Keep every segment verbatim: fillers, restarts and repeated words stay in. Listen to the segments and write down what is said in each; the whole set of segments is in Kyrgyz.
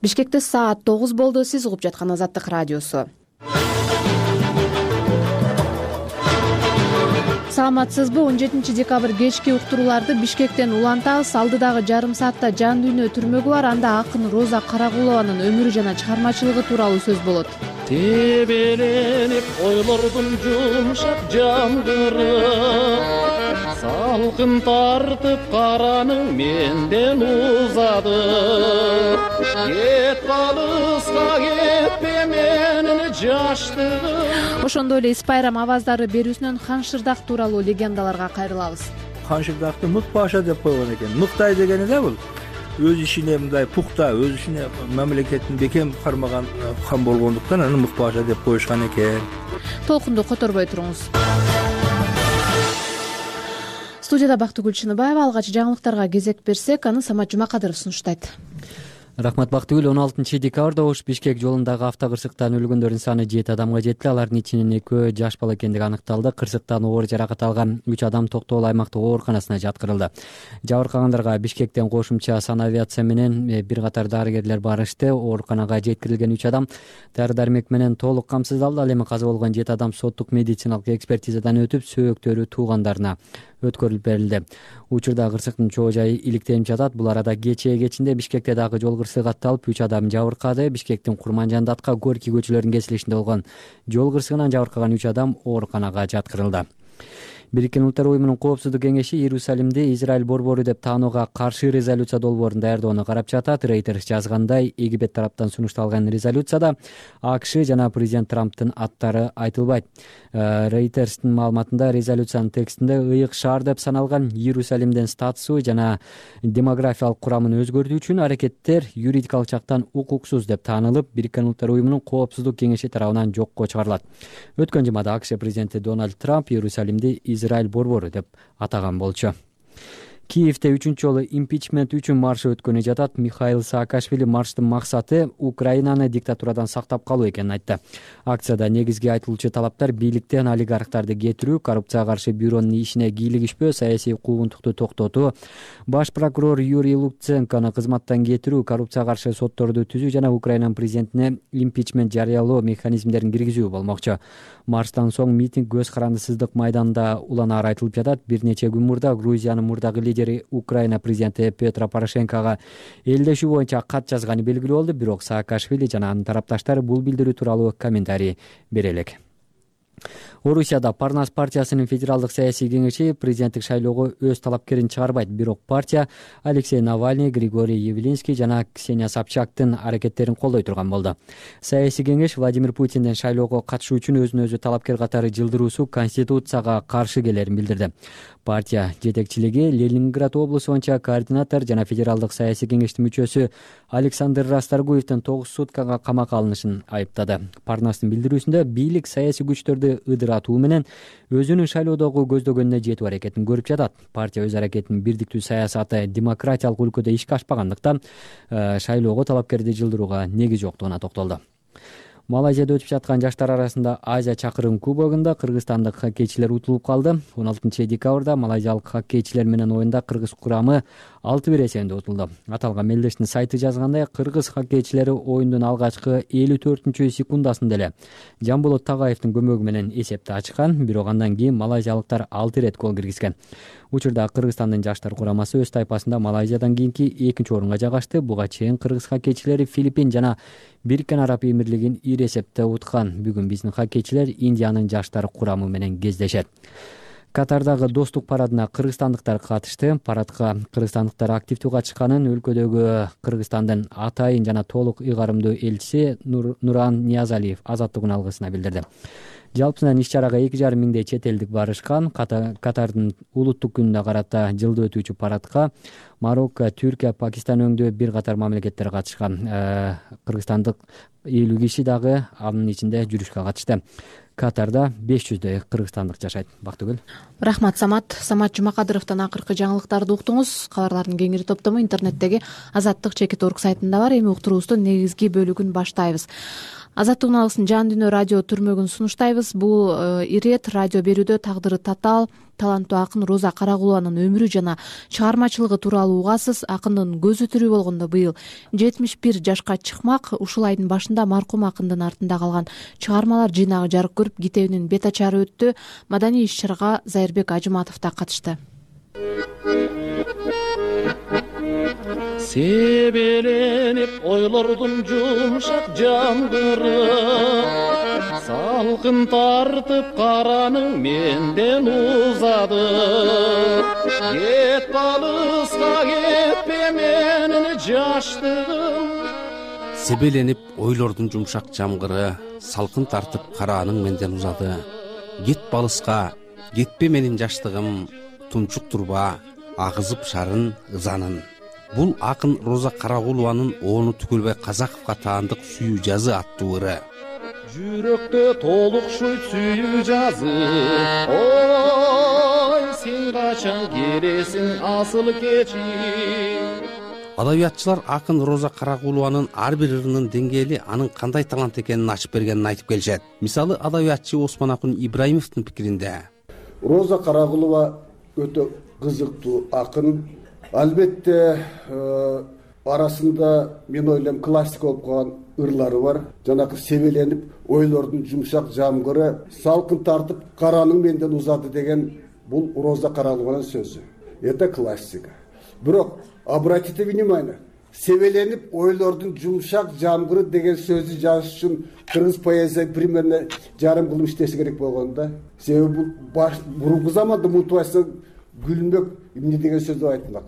Бишкекте саат тогуз болду. Сиз угуп жаткан Азаттык радиосу. Саламатсызбы? он жетинчи декабрь кечки уктурууларды Бишкектен улантабыз. Алдыдагы жарым саатта жан дүйнө түрмөгү бар. Анда акын Роза Карагулованын өмүрү жана чыгармачылыгы тууралуу сөз болот. Тебеленип ойлордун жумшак жамгыры, салкын тартып караның менден узады. Кет калыска кетпе менин жаштыгым. Ошондой эле Ис Байрам аваздары берүүсүнөн Хан Шырдак тууралуу легендаларга кайрылабыз. Хан Шырдакты мык паша деп койгон экен. Мыктай дегени да бул. Өз ишине мындай пухта, өз ишине мамлекеттин бекем кармаган хан болгондуктан аны мык паша деп коюшкан экен. Толкунду которбой туруңуз. Студияда Бактыгүл Чыныбаева. Алгач жаңылыктарга кезек берсек, аны Самат Жумакадыров сунуштайт. Рахмат Бактыгүл. он алтынчы декабрда Ош Бишкек жолундагы автокырсыктан өлгөндөрдүн саны жети адамга жетти. Алардын ичинен экөө жаш бала экендиги аныкталды. Кырсыктан оор жаракат алган үч адам Токтогул аймактык ооруканасына жаткырылды. Жабыркагандарга Бишкектен кошумча санавиация менен бир катар дарыгерлер барышты. Ооруканага жеткирилген үч адам дары дармек менен толук камсыздалды. Ал эми каза болгон жети адам соттук медициналык экспертизадан өтүп, сөөктөрү туугандарына өткөрүлүп берилди. Учурда кырсыктын чоо жайы иликтенип жатат. Бул арада кечээ кечинде Бишкекте дагы жол кырсыгы катталып, үч адам жабыркады. Бишкектин Курманжан Датка Горький көчөлөрүнүн кесилишинде болгон жол кырсыгынан жабыркаган үч адам ооруканага жаткырылды. Бириккен Улуттар уюмунун Коопсуздук кеңеши Иерусалимди Израиль борбору деп таанууга каршы резолюция долбоорун даярдоону карап жатат. Reuters жазгандай, Египет тараптан сунушталган резолюцияда АКШ жана президент Трамптын аттары айтылбайт. Reuters'тин маалыматында резолюциянын текстинде ыйык шаар деп саналган Иерусалимдин статусу жана демографиялык курамын өзгөртүү үчүн аракеттер юридикалык жактан укуксуз деп таанылып, Бириккен Улуттар уюмунун Коопсуздук кеңеши тарабынан жокко чыгарылат. Өткөн жумада АКШ президенти Дональд Трамп Иерусалимди Израиль борбору деп атаган болчу. Киевде үчүнчү жолу импичмент үчүн марш өткөнү жатат. Михаил Саакашвили марштын максаты Украинаны диктатурадан сактап калуу экенин айтты. Акцияда негизги айтылуучу талаптар бийликтен олигархтарды кетирүү, коррупцияга каршы бюронун ишине кийлигишпөө, саясий куугунтукту токтотуу, баш прокурор Юрий Луценкону кызматтан кетирүү, коррупцияга каршы сотторду түзүү жана Украинанын президентине импичмент жарыялоо механизмдерин киргизүү болмокчу. Марштан соң митинг көз карандысыздык майданда уланаар айтылып жатат. Бир нече күн мурда Грузиянын мурдагы лидери Украина президенти Петро Порошенкого элдешүү боюнча кат жазганы белгилүү болду. Бирок Саакашвили жана анын тарапташтары бул билдирүү тууралуу комментарий бере элек. Орусияда Парнас партиясынын федералдык саясий кеңеши президенттик шайлоого өз талапкерин чыгарбайт. Бирок партия Алексей Навальный, Григорий Явлинский жана Ксения Собчактын аракеттерин колдой турган болду. Саясий кеңеш Владимир Путиндин шайлоого катышуу үчүн өзүн өзү талапкер катары жылдыруусу конституцияга каршы келерин билдирди. Партия жетекчилиги Ленинград облусу боюнча координатор жана федералдык саясий кеңештин мүчөсү Александр Расторгуевдин тогуз суткага камакка алынышын айыптады. Парнастын билдирүүсүндө бийлик саясий күчтөрдү ыдыратуу менен өзүнүн шайлоодогу көздөгөнүнө жетүү аракетин көрүп жатат. Партия өз аракетинин бирдиктүү саясаты демократиялык өлкөдө ишке ашпагандыктан шайлоого талапкерди жылдырууга негиз жоктугуна токтолду. Малайзияда өтүп жаткан жаштар арасында Азия чакырым кубогунда кыргызстандык хоккейчилер утулуп калды. он алтынчы декабрда малайзиялык хоккейчилер менен оюнда кыргыз курамы алты бир эсебинде утулду. Аталган мелдештин сайты жазгандай, кыргыз хоккейчилери оюндун алгачкы элүү төртүнчү секундасында эле Жамболот Тагаевдин көмөгү менен эсепти ачкан, бирок андан кийин малайзиялыктар алты ирет гол киргизген. Учурда Кыргызстандын жаштар курамасы өз тайпасында Малайзиядан кийинки экинчи орунга жайгашты. Буга чейин кыргыз хоккейчилери Филиппин жана Бириккен Араб Эмирлигин ир эсепте уткан. Бүгүн биздин хоккейчилер Индиянын жаштар курамы менен кездешет. Катардагы достук парадына кыргызстандыктар катышты. Парадка кыргызстандыктар активдүү катышканын өлкөдөгү Кыргызстандын атайын жана толук ыйгарымдуу элчиси Нуран Ниязалиев Азаттыгын алгысына билдирди. Жалпысынан иш-чарага эки жарым миңдей чет элдик барышкан. Катардын улуттук күнүнө карата жылда өтүүчү парадка Марокко, Түркия, Пакистан өңдүү бир катар мамлекеттер катышкан. Кыргызстандык элүү киши дагы анын ичинде жүрүшкө катышты. Катарда беш жүздөй кыргызстандык жашайт. Бактыгүл. Рахмат Самат. Самат Жумакадыровдон акыркы жаңылыктарды уктуңуз. Кабарлардын кеңири топтому интернеттеги азаттык чекит орг сайтында бар. Эми уктуруубуздун негизги бөлүгүн баштайбыз. Азаттык үналысын жан дүйнө радио түрмөгүн сунуштайбыз. Бул ирет радио берүүдө тагдыры татаал таланттуу акын Роза Карагулованын өмүрү жана чыгармачылыгы тууралуу угасыз. Акындын көзү тирүү болгондо быйыл жетимиш бир жашка чыкмак. Ушул айдын башында маркум акындын артында калган чыгармалар жыйнагы жарык көрүп, китебинин бет ачары өттү. Маданий иш-чарага Зайырбек Ажыматов да катышты. Себеленип ойлордун жумшак жамгыры, салкын тартып караның менден узады. Кет алыска кетпе менин жаштыгым. Себеленип ойлордун жумшак жамгыры, салкын тартып караның менден узады. Кет алыска кетпе менин жаштыгым, тунчуктурба агызып шарын ызанын. Бул акын Роза Карагулованын Оону Түкөлбай Казаковго таандык сүйүү жазы аттуу ыры. Жүрөктө толукшуйт сүйүү жазы, ой сен качан келесиң асыл кечи. Адабиятчылар акын Роза Карагулованын ар бир ырынын деңгээли анын кандай талант экенин ачып бергенин айтып келишет. Мисалы, адабиятчы Осмонакун Ибраимовдун пикиринде Роза Карагулова өтө кызыктуу акын. Албетте арасында мен ойлойм классик болуп калган ырлары бар. Жанакы себеленип ойлордун жумшак жамгыры, салкын тартып караның менден узады деген бул Роза Карагулованын сөзү. Это классика. Бирок обратите внимание, себеленип ойлордун жумшак жамгыры деген сөздү жазыш үчүн кыргыз поэзия примерно жарым кылым иштеше керек болгон да. Себеби бул мурунку заманда мутубайса Гүлмөк эмне деген сөздү айтмак.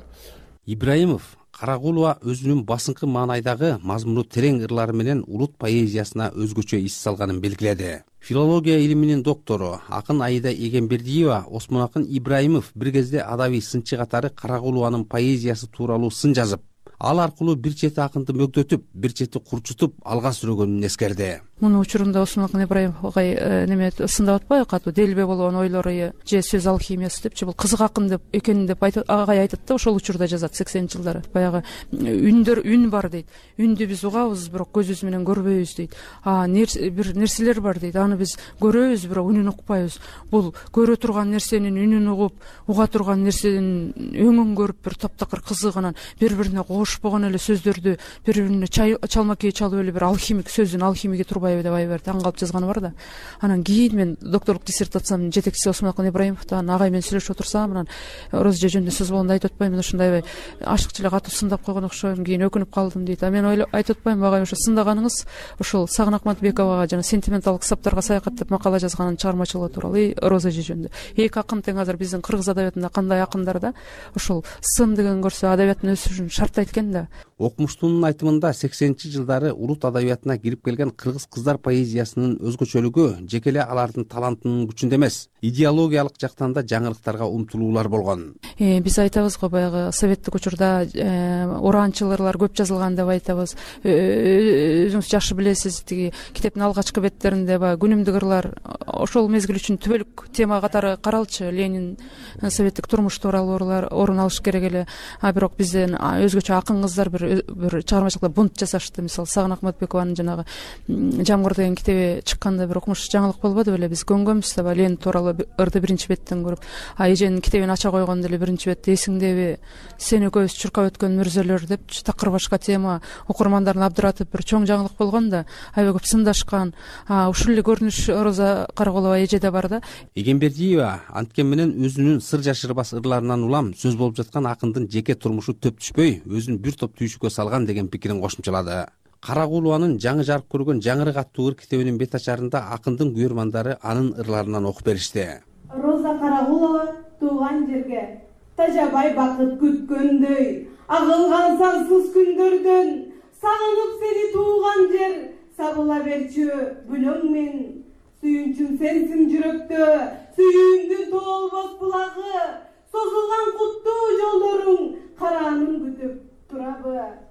Ибраимов Карагулова өзүнүн басыңкы маанайдагы мазмуну терең ырлары менен улут поэзиясына өзгөчө ис салганын белгиледи. Филология илиминин доктору акын Аида Эгембердиева Осмонакун Ибраимов бир кезде адабий сынчы катары Карагулованын поэзиясы тууралуу сын жазып, ал аркылуу бир чети акынды мөгдөтүп, бир чети курчутуп алга сүрөгөнүн эскерди. Муну учурунда Осмонакун Ибраимовго неме сындап атпайбы, катуу делбе болгон ойлору же сөз алхимиясы депчи, бул кызык акын деп экенин деп агай айтат да, ошол учурда жазат сексенинчи жылдары. Баягы үндөр үн бар дейт. Үндү биз угабыз, бирок көзүбүз менен көрбөйбүз дейт. А бир нерселер бар дейт. Аны биз көрөбүз, бирок үнүн укпайбыз. Бул көрө турган нерсенин үнүн угуп, уга турган нерсенин өңүн көрүп бир таптакыр кызык, анан бири-бирине кошпогон эле сөздөрдү бири-бирине чалмакей чалып эле бир алхимик сөздүн алхимиги турбайбы деп аябай таң калып жазганы бар да. Анан кийин мен докторлук диссертациямдын жетекчиси Осмонакун Ибраимовдон агай менен сүйлөшүп отурсам, анан Роза жөнүндө сөз болгондо айтып атпаймын, ушундай ашыкчы эле катуу сындап койгон окшойм, кийин өкүнүп калдым дейт. А мен айтып атпаймынбы, агай ошо сындаганыңыз ушул Сагын Акматбековага жана сентименталдык китаптарга саякат деп макала жазганын чыгармачылыгы тууралуу Роза жөнүндө. Эки акын тең азыр биздин кыргыз адабиятында кандай акындар да ушул сын деген көрсө адабияттын өсүшүн шарттайт экен да. Окумуштуунун айтымында сексенинчи жылдары улут адабиятына кирип келген кыргыз кыздар поэзиясынын өзгөчөлүгү жеке эле алардын талантынын күчүндө эмес, идеологиялык жактан да жаңылыктарга умтулуулар болгон. Э, биз айтабыз го, баягы советтик учурда ураанчыл ырлар көп жазылган деп айтабыз. Өзүңүз жакшы билесиз, тиги китептин алгачкы беттеринде баягы күнүмдүк ырлар ошол мезгил үчүн түбөлүк тема катары каралчу. Ленин, советтик турмуш тууралуу ырлар орун алыш керек эле. А бирок бизден өзгөчө акын кыздар бир бир чыгармачылыкта бунт жасашты. Мисалы, Сагын Акматбекованын жанагы Жамгыр деген китеби чыкканда бир окумуш жаңылык болбоду беле? Биз көнгөнбүз да, Ленин тууралуу ырды биринчи беттен көрүп, а эженин китебин ача койгондо эле биринчи бетте эсиңдеби сен экөөбүз чуркап өткөн мүрзөлөр деп такыр башка тема окурмандарын абдыратып бир чоң жаңылык болгон да, аябай көп сындашкан. А ушул эле көрүнүш Роза Карагулова эжеде бар да. Эгембердиева анткени менен өзүнүн сыр жашырбас ырларынан улам сөз болуп жаткан акындын жеке турмушу төп түшпөй, өзүн бир топ түйшүккө салган деген пикирин кошумчалады. Карагулованын жаңы жарык көргөн Жаңырык аттуу ыр китебинин бет ачарында акындын күйөрмандары анын ырларынан окуп беришти. Роза Карагулова тууган жерге тажабай бакыт күткөндөй, агылган сансыз күндөрдөн сагынып сени тууган жер, сабыла берчү бүлөң мен сүйүнчүм сенсиң жүрөктө, сүйүүңдүн тоолбос булагы, созулган куттуу жолдоруң караанын күтүп турабы.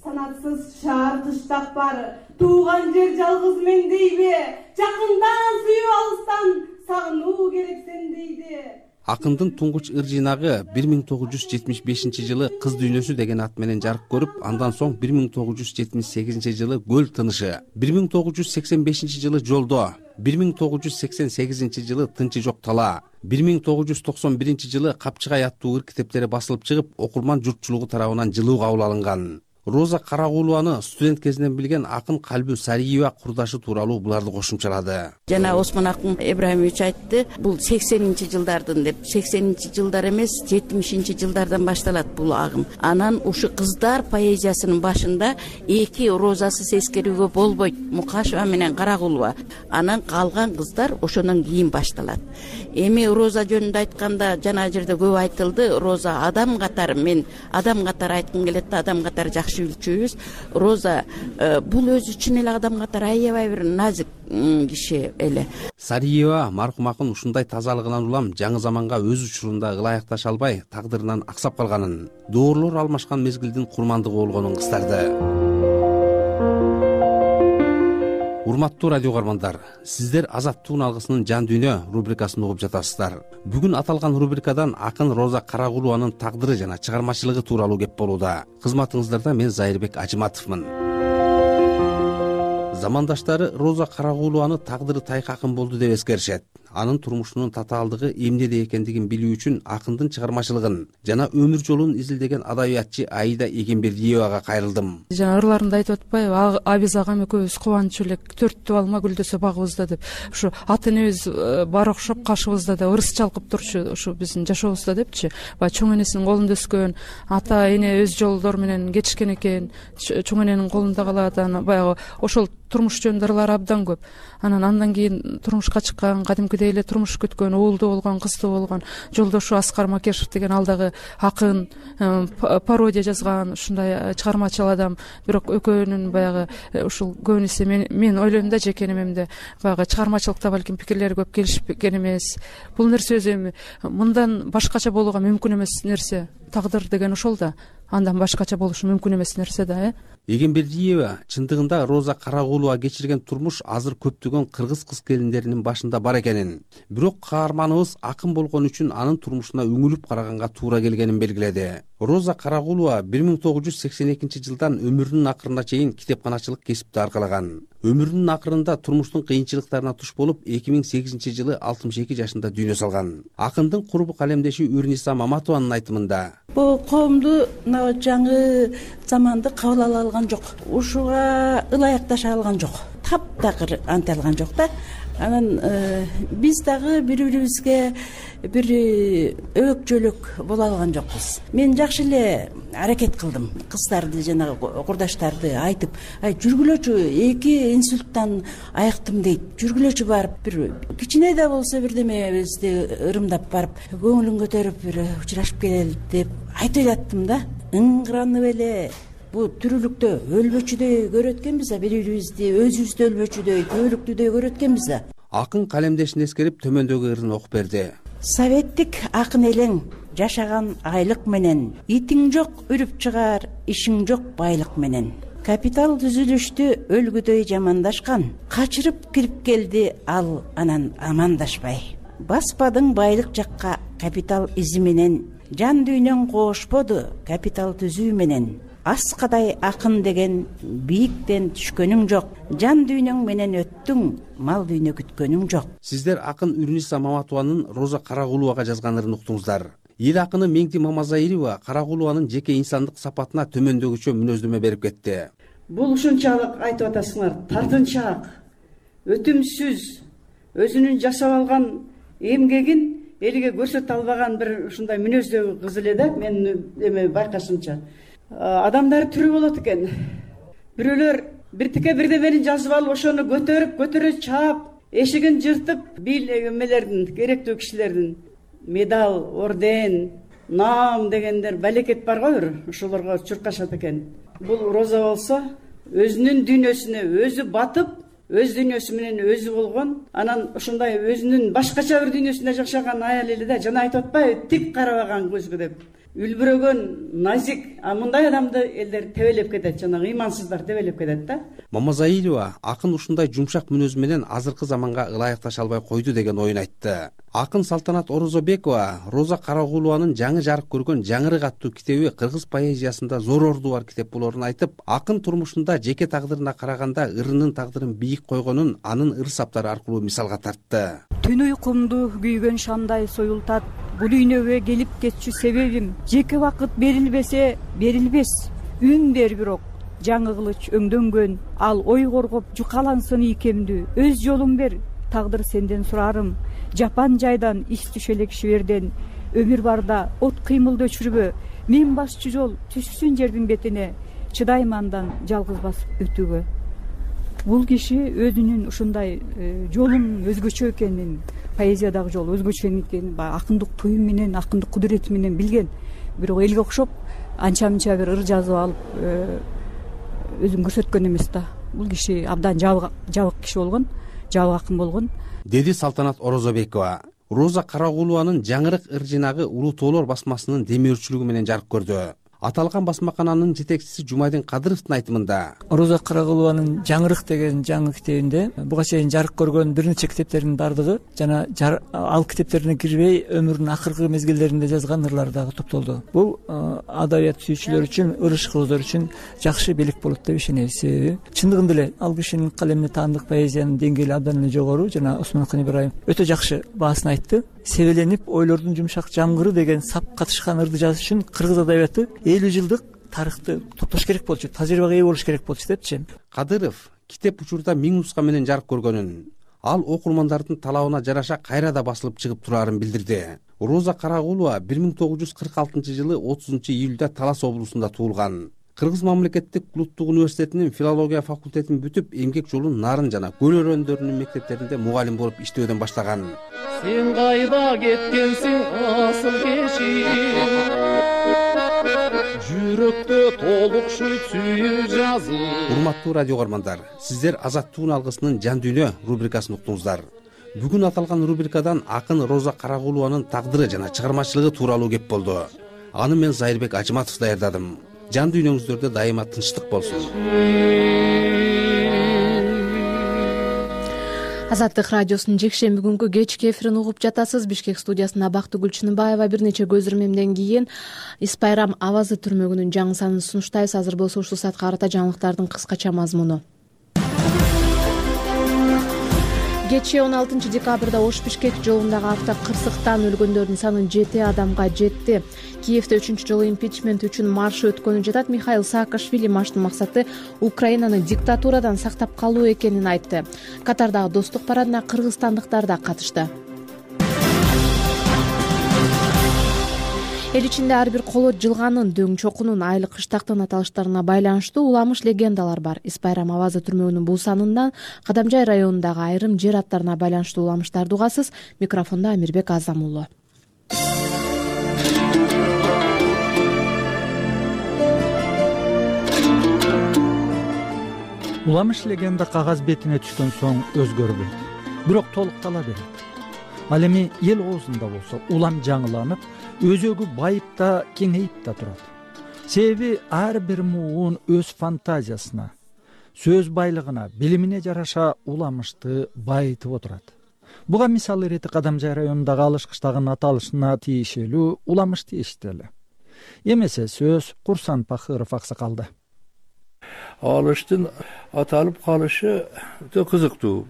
Санатсыз шаар кыштак бар, тууган жер жалгыз мен дейби, жакындан сүйүп алыстан сагынуу керек сен дейди. Акындын туңгуч ыр жыйнагы бир миң тогуз жүз жетимиш бешинчи жылы Кыз дүйнөсү деген ат менен жарык көрүп, андан соң бир миң тогуз жүз жетимиш сегизинчи жылы Көл тынышы, бир миң тогуз жүз сексен бешинчи жылы Жолдо, бир миң тогуз жүз сексен сегизинчи жылы Тынчы жок тала, бир миң тогуз жүз токсон биринчи жылы Капчыгай аттуу ыр китептери басылып чыгып, окурман журтчулугу тарабынан жылуу кабыл алынган. Роза Карагулованы студент кезинен билген акын Калбү Сариева курдашы тууралуу буларды кошумчалады. Жана Осмон Акын Ибраимович айтты, бул сексенинчи жылдардын деп. сексенинчи жылдар эмес, жетимишинчи жылдардан башталат бул агым. Анан ушу кыздар поэзиясынын башында эки розасы сескерүүгө болбойт, Мукашева менен Карагулова. Анан калган кыздар ошондон кийин башталат. Эми роза жөнүндө айтканда жана жерде көп айтылды. Роза адам катары, мен адам катары айткым келет да, адам катары жакшы билчүбүз. Роза бул өзү үчүн эле адам катары аябай бир назик киши эле. Сариева маркум акын ушундай тазалыгынан улам жаңы заманга өз учурунда ылайыкташа албай, тагдырынан аксап калганын, доорлор алмашкан мезгилдин курмандыгы болгонун кыстарды. Урматтуу радио каармандар, сиздер Азаттыктын алгысынын жан дүйнө рубрикасын угуп жатасыздар. Бүгүн аталган рубрикадан акын Роза Карагулованын тагдыры жана чыгармачылыгы тууралуу кеп болууда. Кызматыңыздарда мен Зайырбек Ажыматовмун. Замандаштары Роза Карагулованы тагдыры тайкы акын болду деп эскеришет. Анын турмушунун татаалдыгы эмнеде экендигин билүү үчүн акындын чыгармачылыгын жана өмүр жолун изилдеген адабиятчы Аида Эгембердиевага кайрылдым. Жана ырларында айтып атпайбы, Абиз агам экөөбүз кубанычуу элек төрттү алма гүлдөсө багыбызда деп. Ушу ата энебиз бар окшоп кашыбызда да ырыс чалкып турчу, ушу биздин жашообузда депчи. Баягы чоң энесинин колунда өскөн, ата эне өз жолдору менен кетишкен экен, чоң эненин колунда калат, анан баягы ошол турмуш жөнүндө ырлар абдан көп. Анан андан кийин турмушка чыккан, кадимкидей эле турмуш күткөн, уулду болгон, кыздуу болгон жолдошу Аскар Макешев деген алдагы акын, пародия жазган ушундай чыгармачыл адам. Бирок экөөнүн баягы ушул көбүнесе мен, мен ойлойм да, жеке немемде баягы чыгармачылыкта балким пикирлери көп келишпеген эмес. Бул нерсе өзү эми мындан башкача болууга мүмкүн эмес нерсе. Тагдыр деген ошол да. Андан башкача болушу мүмкүн эмес нерсе да, э? Эгембердиева чындыгында Роза Карагулова кечирген турмуш азыр көптөгөн кыргыз кыз келиндеринин башында бар экенин, бирок каарманыбыз акын болгон үчүн анын турмушуна үңүлүп караганга туура келгенин белгиледи. Роза Карагулова бир миң тогуз жүз сексен экинчи жылдан өмүрүнүн акырына чейин китепканачылык кесипти аркалаган. Өмүрүнүн акырында турмуштун кыйынчылыктарына туш болуп, эки миң сегизинчи жылы алтымыш эки жашында дүйнө салган. Акындын курбу калемдеши Үрниса Маматованын айтымында: Бул коомду мына жаңы заманды кабыл ала алган жок. Ушуга ылайыкташа алган жок. Таптакыр анте алган жок да. Анан биз дагы бири-бирибизге бир өк жөлөк боло алган жокпуз. Мен жакшы эле аракет кылдым. Кыздарды жана курдаштарды айтып, ай жүргүлөчү, эки инсульттан айыктым дейт. Жүргүлөчү барып бир кичине да болсо бирдемебизди ырымдап барып, көңүлүн көтөрүп бир учурашып келели деп айтып жаттым да. Ыңгыранып эле бу тирүүлүктө өлбөчүдөй көрөт экенбиз да, бири-бирибизди өзүбүздү өлбөчүдөй, көөлүктүдөй көрөт экенбиз да. Акын калемдешин эскерип төмөндөгү ырын окуп берди. Советтик акын элең жашаган айлык менен, итиң жок үрүп чыгар, ишиң жок байлык менен. Капитал түзүлүштү өлгүдөй жамандашкан, качырып кирип келди ал анан амандашпай. Баспадың байлык жакка капитал изи менен, жан дүйнөң коошподу капитал түзүү менен. Аскадай акын деген бийиктен түшкөнүң жок, жан дүйнөң менен өттүң, мал дүйнө күткөнүң жок. Сиздер акын Үрниса Маматованын Роза Карагуловага жазган ырын уктуңуздар. Эл акыны Меңди Мамазайырова Карагулованын жеке инсандык сапатына төмөндөгүчө мүнөздөмө берип кетти. Бул ушунчалык айтып атасыңар, тартынчаак, өтүмсүз, өзүнүн жасап алган эмгегин элге көрсөтө албаган бир ушундай мүнөздөгү кыз эле да, мен эме байкашымча. Адамдар түрү болот экен. Бирөөлөр биртике бирдемени жазып алып, ошону көтөрүп, көтөрө чаап, эшигин жыртып, бил эмелердин, керектүү кишилердин медал, орден, наам дегендер балекет бар го, бир ошолорго чуркашат экен. Бул Роза болсо өзүнүн дүйнөсүнө өзү батып, өз дүйнөсү менен өзү болгон, анан ушундай өзүнүн башкача бир дүйнөсүндө жашаган аял эле да, жана айтып атпайбы, тик карабаган көзгө деп. үлбүрөгөн, назик, а мындай адамды элдер тебелеп кетет, жанагы ыймансыздар тебелеп кетет да. Мамазаилова акын ушундай жумшак мүнөзү менен азыркы заманга ылайыкташа албай койду деген оюн айтты. Акын Салтанат Орозобекова Роза Карагулованын жаңы жарык көргөн Жаңырык аттуу китеби кыргыз поэзиясында зор орду бар китеп болоорун айтып, акын турмушунда жеке тагдырына караганда ырынын тагдырын бийик койгонун анын ыр саптары аркылуу мисалга тартты. Түн уйкумду күйгөн шамдай союлтат, бул үйнөгө келип кетчү себебим, жеке вакыт берилбесе берилбес, үн бер бирок жаңы кылыч өңдөнгөн, ал ой коргоп жукалансын ийкемдүү, өз жолун бер, тагдыр сенден сурарым, жапан жайдан иш түшө элек шиберден, өмүр барда от кыймылды өчүрбө, мен басчу жол түшсүн жердин бетине, чыдайм андан жалгыз басып өтүүгө. Бул киши өзүнүн ушундай жолун өзгөчө экенин, поэзиядагы жол өзгөчө экенин, акындык туюм менен, акындык кудурети менен билген, бирок элге окшоп анча-мынча бир ыр жазып алып өзүн көрсөткөн эмес да. Бул киши абдан жабык киши болгон, жабык акын болгон, деди Салтанат Орозобекова. Роза Карагулованын Жаңырык ыр жинагы Улуу тоолор басмасынын демөөрчүлүгү менен жарык көрдү. Аталган басмакананын жетекчиси Жумайдин Кадыровдун айтымында, Роза Карагулованын Жаңырык деген жаңы китебинде буга чейин жарык көргөн бир нече китептердин бардыгы жана ал китептерине кирбей өмүрүнүн акыркы мезгилдеринде жазган ырлары дагы топтолду. Бул адабият сүйүүчүлөр үчүн, ыр ишкөздөр үчүн жакшы белек болот деп ишенебиз. Себеби чындыгында эле ал кишинин калемине таандык поэзиянын деңгээли абдан эле жогору. Жана Осмонакан Ибраимов өтө жакшы баасын айтты. Себеленип ойлордун жумшак жамгыры деген сап катышкан ырды жазыш үчүн кыргыз адабияты элүү жылдык тарыхты топтош керек болчу, тажрыйбага ээ болуш керек болчу депчи. Кадыров китеп учурда миң нуска менен жарык көргөнүн, ал окурмандардын талабына жараша кайра да басылып чыгып турарын билдирди. Роза Карагулова бир миң тогуз жүз кырк алтынчы жылы отузунчу июлда Талас облусунда туулган. Кыргыз мамлекеттик улуттук университетинин филология факультетин бүтүп, эмгек жолун Нарын жана Көл өрөндөрүнүн мектептеринде мугалим болуп иштөөдөн баштаган. Сен кайда кеткенсиң асыл кешим, жүрөктө толукшуй сүйүү жазым. Урматтуу радио көрөрмандар, сиздер Азаттыктын алгысынын Жан дүйнө рубрикасын уктуңуздар. Бүгүн аталган рубрикадан акын Роза Карагулованын тагдыры жана чыгармачылыгы тууралуу кеп болду. Аны мен Зайырбек Ажыматов даярдадым. Жан дүйнөңүздөрдө дайыма тынчтык болсун. Азаттык радиосунун жекшемби күнгү кечки эфирин угуп жатасыз. Бишкек студиясында Бактыгүл Чыныбаева. Бир нече көз ирмемден кийин Ис Байрам авазы түрмөгүнүн жаңы санын сунуштайбыз. Азыр болсо ушул саатка карата жаңылыктардын кыскача мазмуну. Кечээ он алтынчы декабрда Ош-Бишкек жолундагы авто кырсыктан өлгөндөрдүн саны жети адамга жетти. Киевде үчүнчү жолу импичмент үчүн марш өткөнү жатат. Михаил Саакашвили марштын максаты Украинаны диктатурадан сактап калуу экенин айтты. Катардагы достук парадына кыргызстандыктар да катышты. Эл ичинде ар бир колот жылганын, дөң чокунун, айлык кыштактын аталыштарына байланыштуу уламыш легендалар бар. Ис Байрам авазы түрмөгүнүн бул санынан Кадамжай районундагы айрым жер аттарына байланыштуу уламыштарды угасыз. Микрофондо Амирбек Азам уулу. Уламыш легенда кагаз бетине түшкөн соң өзгөрбөйт, бирок толуктала берет. Ал эми эл оозунда болсо улам жаңыланып, өзөгү байып да кеңейип да турат. Себеби ар бир муун өз фантазиясына, сөз байлыгына, билимине жараша уламышты байытып отурат. Буга мисал ирети Кадамжай районундагы Алыш кыштагынын аталышына тиешелүү уламыш тийишти эле. Эмесе сөз Курсан Пахыров аксакалды. Алыштын аталып калышы өтө кызыктуу.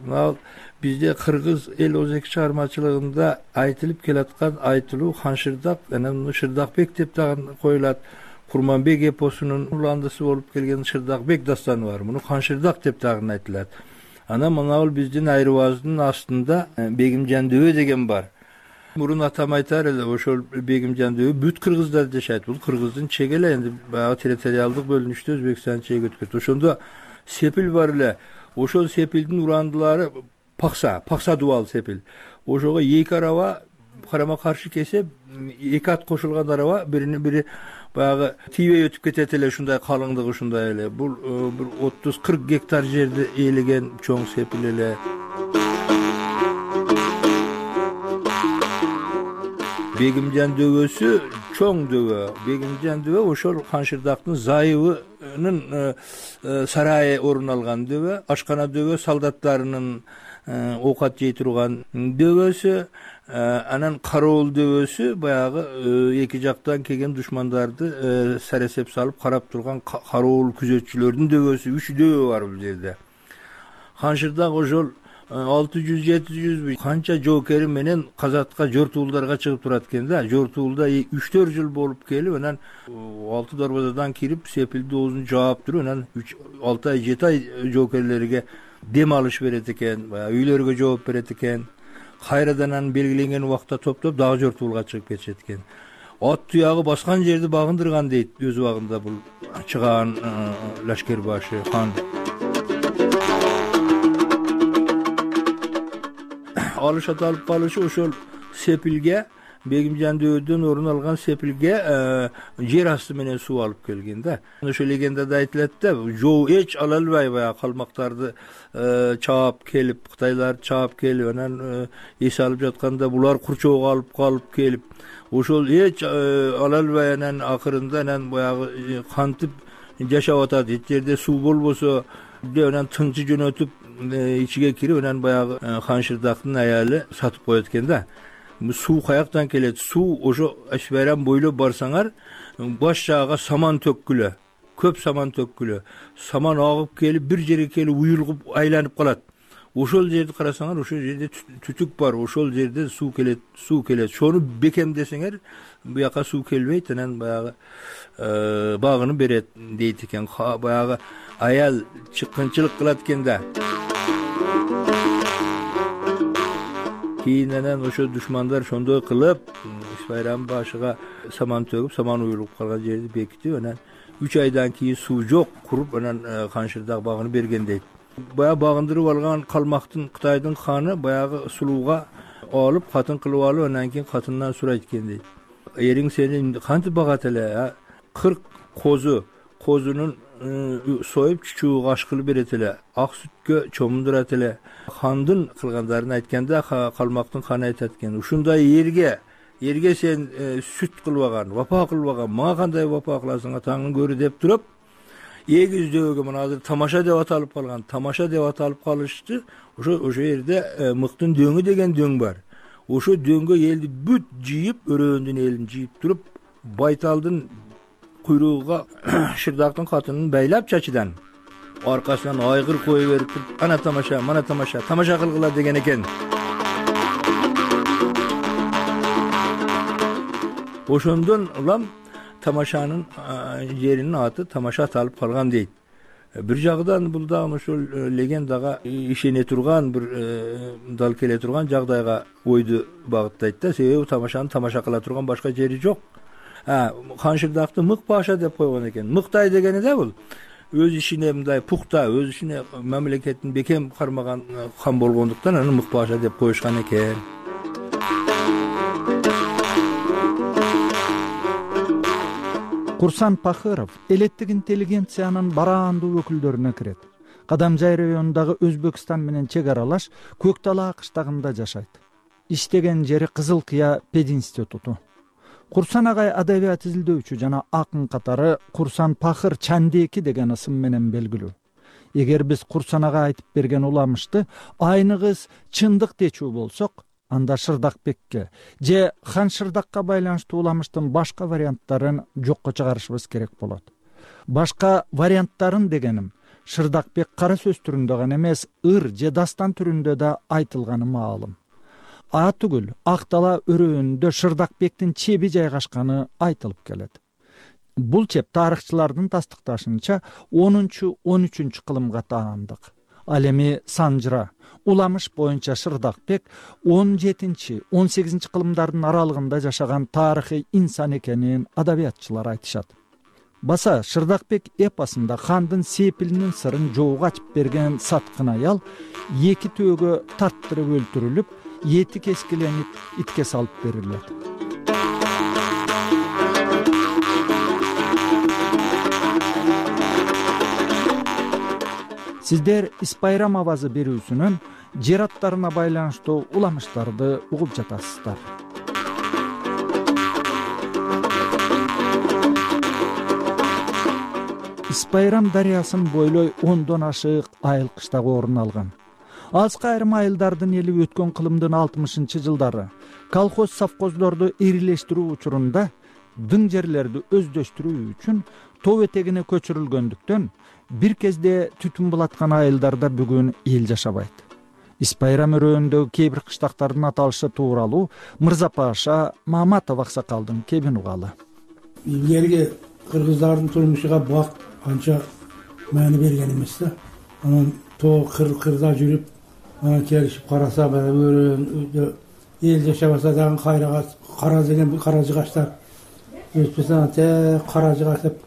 Бизде кыргыз эл өзек чыгармачылыгында айтылып келаткан айтылуу Ханшырдак, анан Шырдакбек деп дагы коюлат. Курманбек эпосунун уландысы болуп келген Шырдакбек дастаны бар. Муну Ханшырдак деп дагы айтылат. Анан мына биздин Айрыбаздын астында Бегим Жандөбө деген бар. Мурун атам айтар эле, ошол Бегим Жандөбө бүт кыргыздар жашайт. Бул кыргыздын чеги эле, энди баягы территориалдык бөлүнүштө Өзбекстан чеги өткөрт. Ошондо Сепил бар эле. Ошол Сепилдин урандылары Пакса, Пакса дубал Сепил. Ошого эки араба карама каршы кесе, эки ат кошулган араба бирине бири баягы тийбей өтүп кетет эле, ушундай калыңдыгы ушундай эле. Бул бир отуз кырк гектар жерди ээлеген чоң Сепил эле. Бегим Жандөбөсү чоң дөбө, Бегимжан дөбө ошол Каншырдактын зайыбынын сарайы орун алган дөбө, ашкана дөбө солдаттарынын оокат жей турган дөбөсү, анан кароол дөбөсү баягы эки жактан келген душмандарды саресеп салып карап турган кароол күзөтчүлөрдүн дөбөсү, үч дөбө бар бул жерде. Каншырдак ошол алты жүз жети жүз канча жоокери менен казатка жортуулдарга чыгып турат экен да. Жортуулда үч төрт жыл болуп келип, анан алты дарбазадан кирип сепилди оозун жаап туруп, анан алты ай жети ай жоокерлерге дем алыш берет экен, баягы үйлөргө жооп берет экен. Кайрадан анан белгиленген убакта топтоп дагы жортуулга чыгып кетишет экен. Ат туягы баскан жерди багындырган дейт өз убагында бул чыган лашкер башы хан. Алыш аталып калышы ошол сепилге, Бегимжан дөбөдөн орун алган сепилге жер асты менен суу алып келген да. Ошол легендада айтылат да, жоо эч ала албай баягы калмактарды чаап келип, кытайларды чаап келип, анан эс алып жатканда булар курчоого алып калып келип, ошол эч ала албай анан акырында анан баягы кантип жашап атат. Эч жерде суу болбосо деп анан тыңчы жөнөтүп ичиге кирип, анан баягы Каншырдактын аялы сатып коет экен да. Суу каяктан келет? Суу ошо Ишбайрам бойлоп барсаңар, баш жагга саман төккүлө, көп саман төккүлө. Саман агып келип, бир жерге келип уюлгуп айланып калат. Ошол жерди карасаңар, ошол жерде түтүк бар, ошол жерде суу келет, суу келет. Шону бекемдесеңер, буяка суу келбейт, анан баягы багыны берет дейт экен. Баягы аял чыккынчылык кылат экен да. Кийин анан ошо душмандар ошондой кылып, Ишбайрам башыга саман төгүп, саман уюлуп калган жерди бекитип, анан үч айдан кийин суу жок, куруп, анан Каншырдак багыны берген дейт. Баягы багындырып алган калмактын Кытайдын ханы баягы сулууга алып, катын кылып алып, анан кийин катындан сурайт экен дейт. Эриң сени кантип багат эле? кырк козу, козунун союп чучууга аш кылып берет эле, ак сүткө чомундурат эле. Хандын кылгандарын айтканда калмактын ханы айтат экен, ушундай эрге, эрге сен сүт кылбаган, вапа кылбаган, мага кандай вапа кыласың атаңдын көрү деп туруп, эгиз дөбөгө мына азыр тамаша деп аталып калган, тамаша деп аталып калышты. Ошо ошо жерде мыктын дөңү деген дөң бар. Ошо дөңгө элди бүт жыйып, өрөөндүн элин жыйып туруп, Байталдын куйругуга Шырдактын катынын байлап чачыдан аркасынан айгыр кое берип, ана тамаша, мана тамаша, тамаша кылгыла деген экен. Ошондон улам тамашанын жеринин аты тамаша аталып калган дейт. Бир жагдан бул дагы ошол легендага ишене турган, бир дал келе турган жагдайга ойду багыттайт да, себеби тамашаны тамаша кыла турган башка жери жок. Каншырдакты мык паша деп койгон экен. Мыктай дегени да бул өз ишине мындай пухта, өз ишине мамлекетин бекем кармаган хан болгондуктан аны мык паша деп коюшкан экен. Курсан Пахыров элеттик интеллигенциянын бараандуу өкүлдөрүнө кирет. Кадамжай районундагы Өзбекстан менен чек аралаш Көк Талаа кыштагында жашайт. Иштеген жери Кызыл Кыя пединституту. Курсан агай адабият изилдөөчү жана акын катары Курсан Пахыр Чандеки деген ысым менен белгилүү. Эгер биз Курсан ага айтып берген уламышты айныгыз чындык дечүү болсок, анда Шырдакбекке же Хан Шырдакка байланыштуу уламыштын башка варианттарын жокко чыгарышыбыз керек болот. Башка варианттарын дегеним Шырдакбек кара сөз түрүндө гана эмес, ыр же дастан түрүндө да айтылганы маалым. А түгүл, Ак Дала өрөөнүндө Шырдакбектин чеби жайгашканы айтылып келет. Бул чеп тарыхчылардын тастыкташынча онунчу он үчүнчү кылымга таандык. Ал эми Санжыра, уламыш боюнча Шырдакбек он жетинчи он сегизинчи кылымдардын аралыгында жашаган тарыхый инсан экенин адабиятчылар айтышат. Баса Шырдакбек эпосунда хандын сепилинин сырын жоого ачып берген саткын аял эки төөгө тарттырып өлтүрүлүп, эти кескиленип итке салып берилет. Сиздер Ишбайрам авазы берүүсүнөн жер аттарына байланыштуу уламыштарды угуп жатасыздар. Ис Байрам дарыясын бойлой ондон ашык айыл кыштагы орун алган. Азыркы айрым айылдардын эли өткөн кылымдын алтымышынчы жылдары колхоз совхоздорду ирилештирүү учурунда дың жерлерди өздөштүрүү үчүн тоо этегине көчүрүлгөндүктөн бир кезде түтүн булаткан айылдарда бүгүн эл жашабайт. Ис Байрам өрөөндөгү кээ бир кыштактардын аталышы тууралуу Мырза Паша Мааматов аксакалдын кебин угалы. Илгерги кыргыздардын турмушуга бак анча маани берген эмес да. Анан тоо кыр-кырда жүрүп, анан келишип караса, өрөөн эл жашабаса дагы кайрага кара деген кара жыгачтар өтпөсө те кара жыгач деп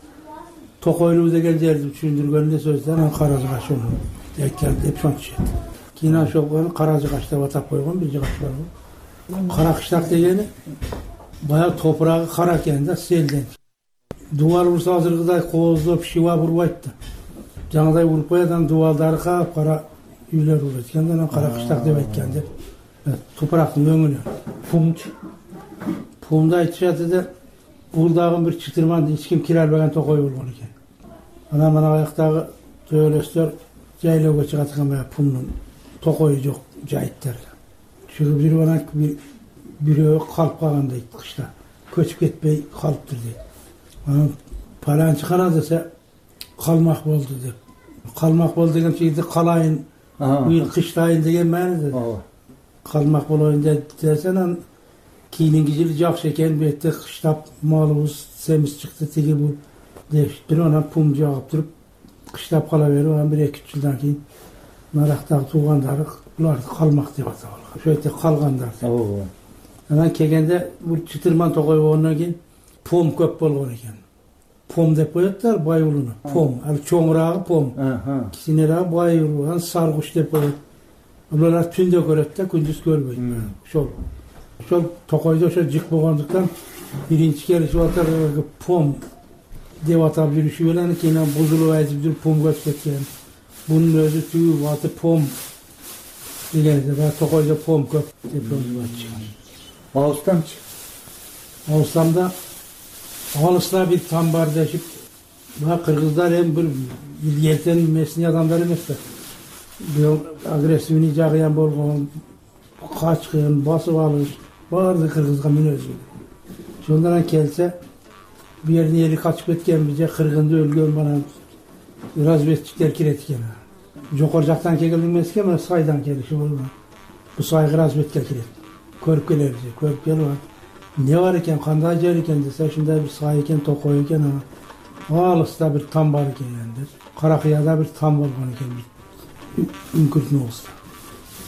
токойлуу деген жерди түшүндүргөндө сөздө анан кара жыгач onu айткан деп сончу. Кийин ошол кара жыгач деп атап койгон бир жыгач бар. Кара кыштак дегени баягы топурагы кара экен да, селден. Дубал урса азыркыдай кооздоп шива бурбайт да. Жаңадай уруп коет, анан дубалдары кап кара үйлөр урат экен, анан кара кыштак деп айткан деп. Топурактын өңүнө пумчу. Пумду айтышат да, бул дагы бир чытырман эч ким кире албаган токой болгон экен. Анан мына аяктагы төөлөстөр жайлоого чыгат экен, баягы пумдун токою жок жайыттар. Чыгып жүрүп анан бирөө калып калган дейт кышта. Көчүп кетпей калыптыр дейт. Анан паланчы кана десе калмак болду деп. Калмак болду деген жерде калайын, быйыл кыштайын деген мааниде. Калмак болоюн десе, анан кийинки жылы жакшы экен, бетте кыштап малыбыз семиз чыкты, тиги бул депшиптир. Анан пум жагып туруп кыштап кала берип, анан бир эки үч жылдан кийин нарактагы туугандары буларды калмак деп атап алган. Ошойтте калгандар. Анан келгенде бул чытырман токой болгондон кийин пом көп болгон экен. Пом деп коеттар байулуну. Пом, ал чоңурагы пом. Кичинерээги байулу, анан саргуч деп коет. Булар түндө көрөт да, күндүз көрбөйт. Ошол. Ошол токойдо ошо жык болгондуктан биринчи келишип атар пом деп атап жүрүшү менен кийин бузулуп айтып жүрүп пом көчүп кеткен. Bunun özü tüyü vatı pom dilerdi. Ve tokayda pom köp depremi var çıkar. Ağustam mı? Ağustamda Ağustamda bir tam var deşip ve Kırgızlar hem bir ilgilten mesni adamlar emesler. Bir agresivini cağıyan bolğun, kaçkın, basıp alır. Vardı Kırgızga min özü. Şundan kelse bir yerine yeri kaçıp ketken bize Kırgın'da ölgön bana razvedçikler kiretken. Jokor jaktan kelген эмес экен, мына сайдан келиши болгон. Бу сайга разведка кирет. Көрүп келебиз, көрүп келип, эмне бар экен, кандай жер экен десе, ушундай бир сай экен, токой экен, алыста бир там бар экен деп. Каракыяда бир там болгон экен. Үңкүртүн болсо.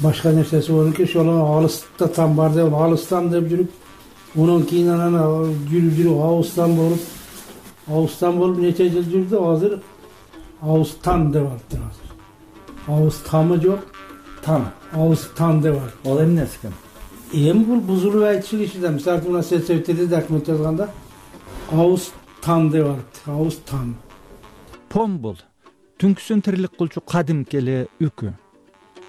Башка нерсеси болгон экен, ошол алыста там бар деп, алыстан деп жүрүп, онун кийин анан жүрүп жүрүп Ауыстан болуп, Ауыстан болуп нече жыл жүрдү, азыр Ауыстан деп атты. Ауыстамы жок, тан. Ауыстан деп атты. Ал эмнеси экен? Эми бул бузулуп айтышып ишиде. Мисалы мына сельсоветтерде документ жазганда Ауыстан деп атты. Ауыстан. Пом бул түнкүсүн тирилик кылчу кадимки эле үкү.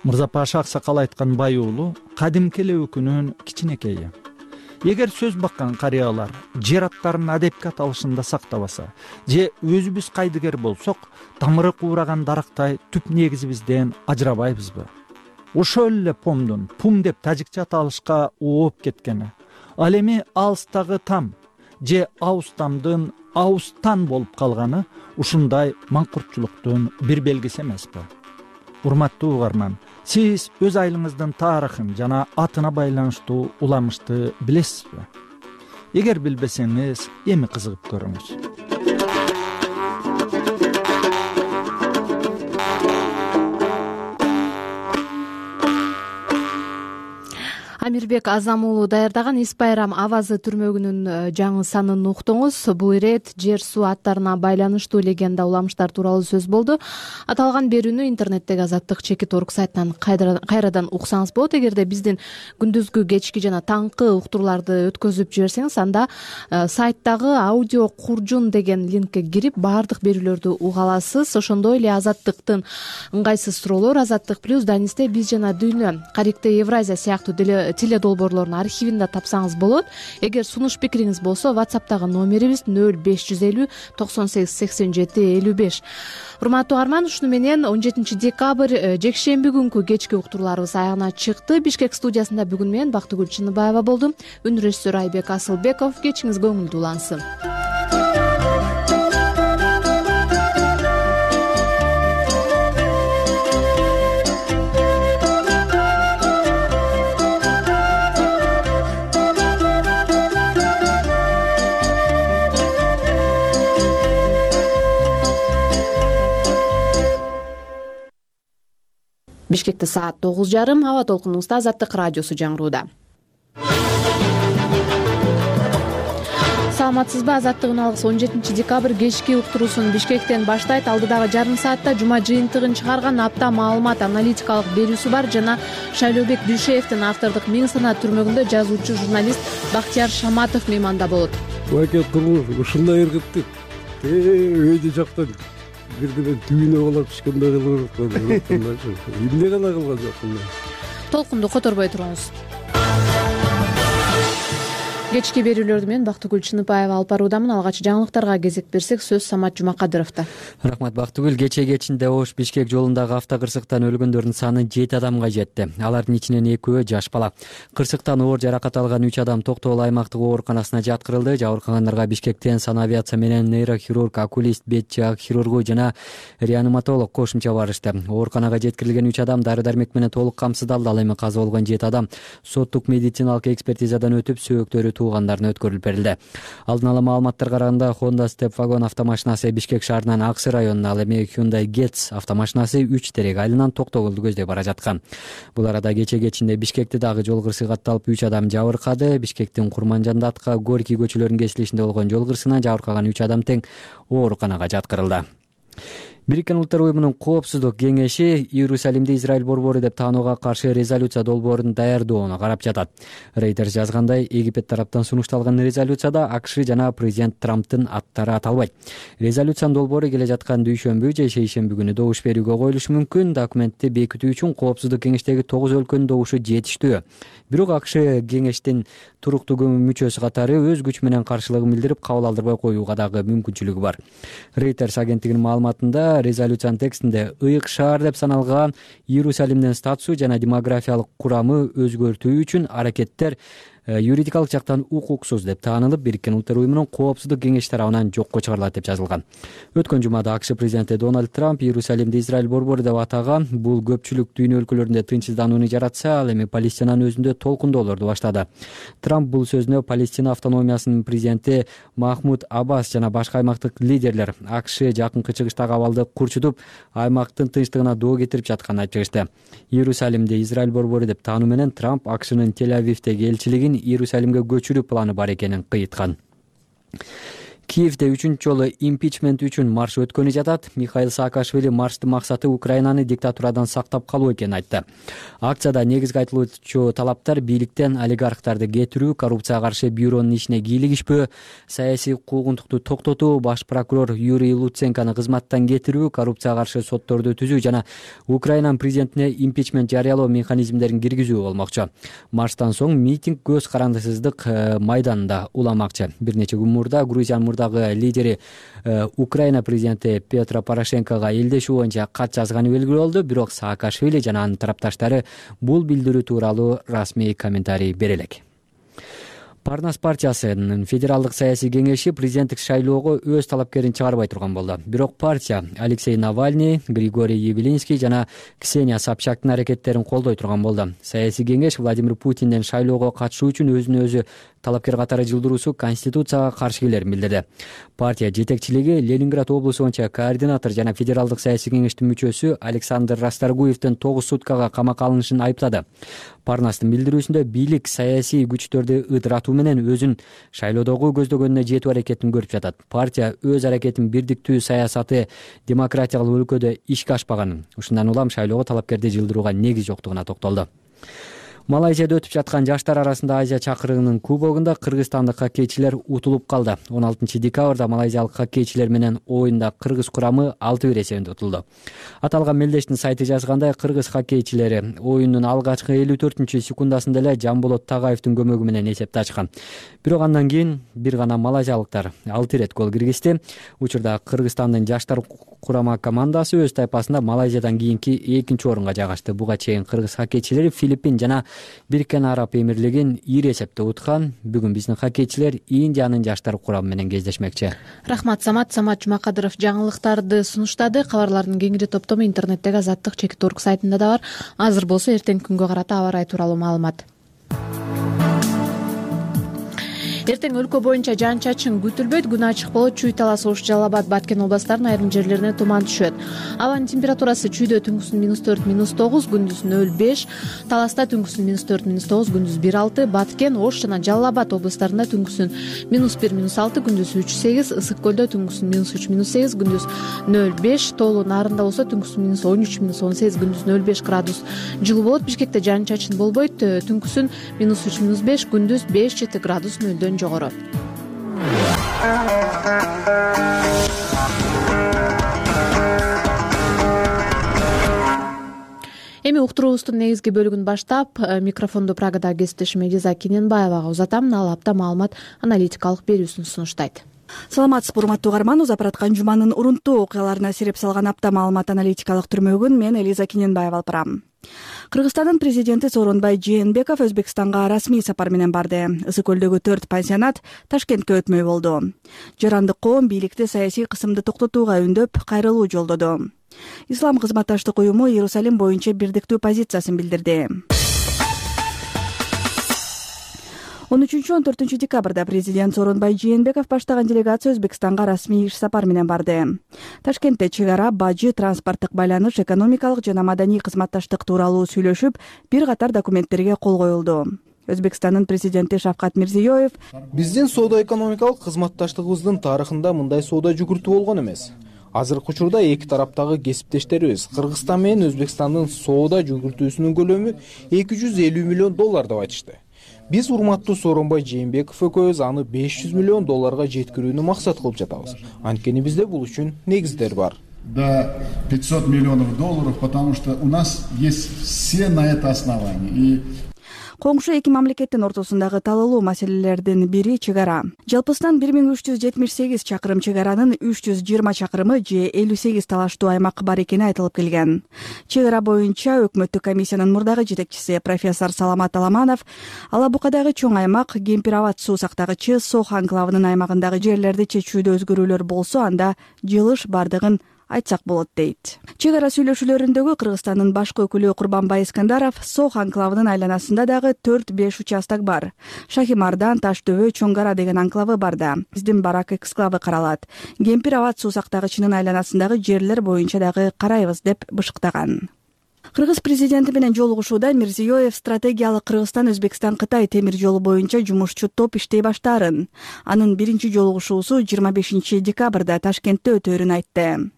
Мырза Паша аксакал айткан бай уулу кадимки эле үкүнүн кичинекейи. Эгер сөз баккан карыялар жер аттарын адепке аталышында сактабаса, же өзүбүз кайдыгер болсок, тамыры куураган дарактай түп негизибизден ажырабайбызбы? Ошол эле помдун пум деп тажикча аталышка ооп кеткени, ал эми алыстагы там же Ауыстамдын Ауыстан болуп калганы ушундай маңкуртчулуктун бир белгиси эмеспи? Урматтуу угарман, сиз өз айылыңыздын тарыхын жана атына байланыштуу уламышты билесизби? Эгер билбесеңиз, эми кызыгып көрүңүз. Амирбек Азам уулу даярдаган Ис Байрам авазы түрмөгүнүн жаңы санын уктуңуз. Бул ирет жер суу аттарына байланыштуу легенда уламыштар тууралуу сөз болду. Аталган берүүнү интернеттеги Азаттык чекит орг сайтынан кайрадан уксаңыз болот. Эгерде биздин күндүзгү, кечки жана таңкы уктурууларды өткөзүп жиберсеңиз, анда сайттагы аудио куржун деген линкке кирип баардык берүүлөрдү уга аласыз. Ошондой эле Азаттыктын ыңгайсыз суроолор, Азаттык плюс, Данисте биз жана дүйнө, Карикте Евразия сыяктуу теле долбоорлордун архивин да тапсаңыз болот. Эгер сунуш пикириңиз болсо WhatsApp'тагы номерибиз нөл беш жүз элүү токсон сегиз сексен жети элүү беш. Урматтуу угарман, ушуну менен он жетинчи декабрь жекшемби күнкү кечки уктурууларыбыз аягына чыкты. Бишкек студиясында бүгүн мен Бактыгүл Чыныбаева болдум. Үн режиссеру Айбек Асылбеков. Кечиңиз көңүлдүү улансын. Бишкекте саат тогуз жарым. Аба толкунубузда Азаттык радиосу жаңырууда. Саламатсызбы? Азаттык үналгысы он жетинчи декабрь кечки уктуруусун Бишкектен баштайт. Алдыдагы жарым саатта жума жыйынтыгын чыгарган апта маалымат аналитикалык берүүсү бар жана Шайлообек Дүйшеевдин автордук Миң санаа түрмөгүндө жазуучу журналист Бактияр Шаматов мейманда болот. Баке куру ушундай ыргыттык. Өйдө жактан бирдеме дүйнө калап түшкөндөй кылып жаткан. Эмне гана кылган жокмун. Толкунду которбой туруңуз. Кечки берүүлөрдү мен Бактыгүл Чыныбаева алып баруудамын. Алгач жаңылыктарга кезек берсек, сөз Самат Жумакадыровдо. Рахмат Бактыгүл. Кече кечинде Ош Бишкек жолундагы автокырсыктан өлгөндөрдүн саны жети адамга жетти. Алардын ичинен экөө жаш бала. Кырсыктан оор жаракат алган үч адам Токтогул аймактык ооруканасына жаткырылды. Жабыркагандарга Бишкектен санавиация менен нейрохирург, окулист, бет жаак хирургу жана реаниматолог кошумча барышты. Ооруканага жеткирилген үч адам дары-дармек менен толук камсыздалды. Ал эми каза болгон жети адам соттук медициналык экспертизадан өтүп, сөөктөрү туугандарына өткөрүлүп берилди. Алдын ала маалыматтарга караганда Honda Step Wagon автомашинасы Бишкек шаарынын Аксы районуна, ал эми Hyundai Getz автомашинасы үч терек айылынан Токтогулду көздөй бара жаткан. Бул арада кече кечинде Бишкекте дагы жол кырсыгы катталып үч адам жабыркады. Бишкектин Курманжандатка, Горький көчөлөрүнүн кесилишинде болгон жол кырсыгынан жабыркаган үч адам тең ооруканага жаткырылды. Бириккен Улуттар уюмунун коопсуздук кеңеши Иерусалимди Израиль борбору деп таанууга каршы резолюция долбоорун даярдоону карап жатат. Reuters жазгандай, Египет тараптан сунушталган резолюцияда АКШ жана президент Трамптын аттары аталбайт. Резолюциянын долбоору келе жаткан дүйшөмбү же шейшемби күнү добуш берүүгө коюлушу мүмкүн. Документти бекитүү үчүн коопсуздук кеңештеги тогуз өлкөнүн добушу жетиштүү. Бирок АКШ кеңештин туруктуу мүчөсү катары өз күч менен каршылыгын билдирип, кабыл алдырбай коюуга дагы мүмкүнчүлүгү бар. Reuters агенттигинин маалыматында резолюциянын текстинде ыйык шаар деп саналган Иерусалимдин статусу жана демографиялык курамы өзгөртүү үчүн аракеттер юридикалык жактан укуксуз деп таанылып, Бириккен Улуттар уюмунун коопсуздук кеңеши тарабынан жокко чыгарылат деп жазылган. Өткөн жумада АКШ президенти Дональд Трамп Иерусалимди Израиль борбору деп атаган. Бул көпчүлүк дүйнө өлкөлөрүндө тынчсызданууну жаратса, ал эми Палестинанын өзүндө толкундоолорду баштады. Трамп бул сөзүнө Палестина автономиясынын президенти Махмуд Аббас жана башка аймактык лидерлер АКШ жакынкы чыгыштагы абалды курчутуп, аймактын тынчтыгына доо кетирип жатканын айтып чыгышты. Иерусалимди Израиль борбору деп таануу менен Трамп АКШнын Тель-Авивдеги элчилигин Иерусалимге көчүрүү планы бар экенин кыйыткан. Киевде үчүнчү жолу импичмент үчүн марш өткөнү жатат. Михаил Саакашвили марштын максаты Украинаны диктатурадан сактап калуу экенин айтты. Акцияда негизги айтылуучу талаптар бийликтен олигархтарды кетирүү, коррупцияга каршы бюронун ишине кийлигишпөө, саясий куугунтукту токтотуу, баш прокурор Юрий Луценкону кызматтан кетирүү, коррупцияга каршы сотторду түзүү жана Украинанын президентине импичмент жарыялоо механизмдерин киргизүү болмокчу. Марштан соң митинг көз карандысыздык майданында уламакчы. Бир нече күн мурда Грузиянын лидери Украина президенти Петро Порошенкого элдешүү боюнча кат жазганы белгилүү болду. Бирок Саакашвили жана анын тарапташтары бул билдирүү тууралуу расмий комментарий бере элек. Парнас партиясынын федералдык саясий кеңеши президенттик шайлоого өз талапкерин чыгарбай турган болду. Бирок партия Алексей Навальный, Григорий Явлинский жана Ксения Собчактын аракеттерин колдой турган болду. Саясий кеңеш Владимир Путинден шайлоого катышуу үчүн өзүн өзү талапкер катары жылдыруусу конституцияга каршы келерин билдирди. Партия жетекчилиги Ленинград облусу боюнча координатор жана федералдык саясий кеңештин мүчөсү Александр Расторгуевдин тогуз суткага камакка алынышын айыптады. Парнастын билдирүүсүндө бийлик саясий күчтөрдү ыдыратуу менен өзүн шайлоодогу көздөгөнүнө жетүү аракетин көрүп жатат. Партия өз аракетин бирдиктүү саясаты демократиялык өлкөдө ишке ашпаганын, ушундан улам шайлоого талапкерди жылдырууга негиз жоктугуна токтолду. Малайзияда өтүп жаткан жаштар арасында Азия чакырыгынын кубогунда кыргызстандык хоккейчилер утулуп калды. он алтынчы декабрда малайзиялык хоккейчилер менен оюнда кыргыз курамы алты бир эсебинде утулду. Аталган мелдештин сайты жазгандай, кыргыз хоккейчилери оюндун алгачкы элүү төртүнчү секундасында эле Жамболот Тагаевдин көмөгү менен эсепти ачкан. Бирок андан кийин бир гана малайзиялыктар алты ирет гол киргизди. Учурда Кыргызстандын жаштар курама командасы өз тайпасында Малайзиядан кийинки экинчи орунга жайгашты. Буга чейин кыргыз хоккейчилери Филиппин жана Бириккен Араб Эмирлигин ири эсепте уткан. Бүгүн биздин хоккейчилер Индиянын жаштар курамы менен кездешмекчи. Рахмат Самат. Самат Жумакадыров жаңылыктарды сунуштады. Кабарлардын кеңири топтому интернеттеги Азаттык чекит орг сайтында да бар. Азыр болсо эртеңки күнгө карата аба ырайы тууралуу маалымат. Эртең өлкө боюнча жаан-чачын күтүлбөйт. Күн ачык болот. Чүй, Талас, Ош, Жалал Абад, Баткен областарынын айрым жерлерине туман түшөт. Абанын температурасы Чүйдө түнкүсүн минус төрт минус тогуз, күндүз нөл беш, Таласта түнкүсүн минус төрт минус тогуз, күндүз бир алты, Баткен, Ош жана Жалал Абад областарында түнкүсүн минус бир минус алты, күндүз үч сегиз, Ысык көлдө түнкүсүн минус үч минус сегиз, күндүз нөл беш, Тоолу Нарында болсо түнкүсүн минус он үч минус он сегиз, күндүз нөл беш градус жылуу болот. Бишкекте жаан-чачын болбойт. Түнкүсүн минус үч минус беш, күндүз беш жети градус нөлдөн жогору. Эми уктуруубуздун негизги бөлүгүн баштап, микрофонду Прагада кесиптешим Элиза Кененбаевага узатам. Ал апта маалымат аналитикалык берүүсүн сунуштайт. Саламатсызбы, урматтуу угарман. Узап бараткан жуманын урунттуу окуяларына сереп салган апта маалымат аналитикалык түрмөгүн мен Элиза Кененбаева алып барам. Кыргызстандын президенти Сооронбай Жээнбеков Өзбекстанга расмий сапар менен барды. Ысык көлдөгү төрт пансионат Ташкентке өтмөй болду. Жарандык коом бийликти саясий кысымды токтотууга үндөп, кайрылуу жолдоду. Ислам кызматташтык уюму Иерусалим боюнча бирдиктүү позициясын билдирди. он үчүнчү он төртүнчү декабрда президент Сооронбай Жээнбеков баштаган делегация Өзбекстанга расмий иш сапар менен барды. Ташкентте чек ара, бажы, транспорттук байланыш, экономикалык жана маданий кызматташтык тууралуу сүйлөшүп, бир катар документтерге кол коюлду. Өзбекстандын президенти Шавкат Мирзиёев: биздин соода-экономикалык кызматташтыгыбыздын тарыхында мындай соода жүгүртүү болгон эмес. Азыркы учурда эки тараптагы кесиптештерибиз Кыргызстан менен Өзбекстандын соода жүгүртүүсүнүн көлөмү эки жүз элүү миллион доллар деп айтышты. Биз урматтуу Сооронбай Жээнбеков экөөбүз аны беш жүз миллион долларга жеткирүүнү максат кылып жатабыз. Анткени бизде бул үчүн негиздер бар. До пятьсот миллионов долларов, потому что у нас есть все на это основания. И Коңшу эки мамлекеттин ортосундагы талаалуу маселелердин бири чек ара. Жалпысынан бир миң үч жүз жетимиш сегиз чакырым чек аранын үч жүз жыйырма чакырымы же элүү сегиз талаштуу аймак бар экени айтылып келген. Чек ара боюнча өкмөттүк комиссиянын мурдагы жетекчиси профессор Саламат Аламанов Ала Букадагы чоң аймак, Кемпир Абад суу сактагычы Сох анклавынын аймагындагы жерлерди чечүүдө өзгөрүүлөр болсо, анда жылыш бардыгын айтсак болот дейт. Чек ара сүйлөшүүлөрүндөгү Кыргызстандын башкы өкүлү Курбанбай Искандаров Сох анклавынын айланасында дагы төрт беш участок бар. Шахимардан, Таштөбө, Чоңгара деген анклавы бар да. Биздин барак эксклавы каралат. Кемпир Абад суу сактагычынын айланасындагы жерлер боюнча дагы карайбыз деп бышыктаган. Кыргыз президенти менен жолугушууда Мирзиёев стратегиялык Кыргызстан-Өзбекстан-Кытай темир жолу боюнча жумушчу топ иштей баштаарын, анын биринчи жолугушуусу жыйырма бешинчи декабрда Ташкентте өтөөрүн айтты.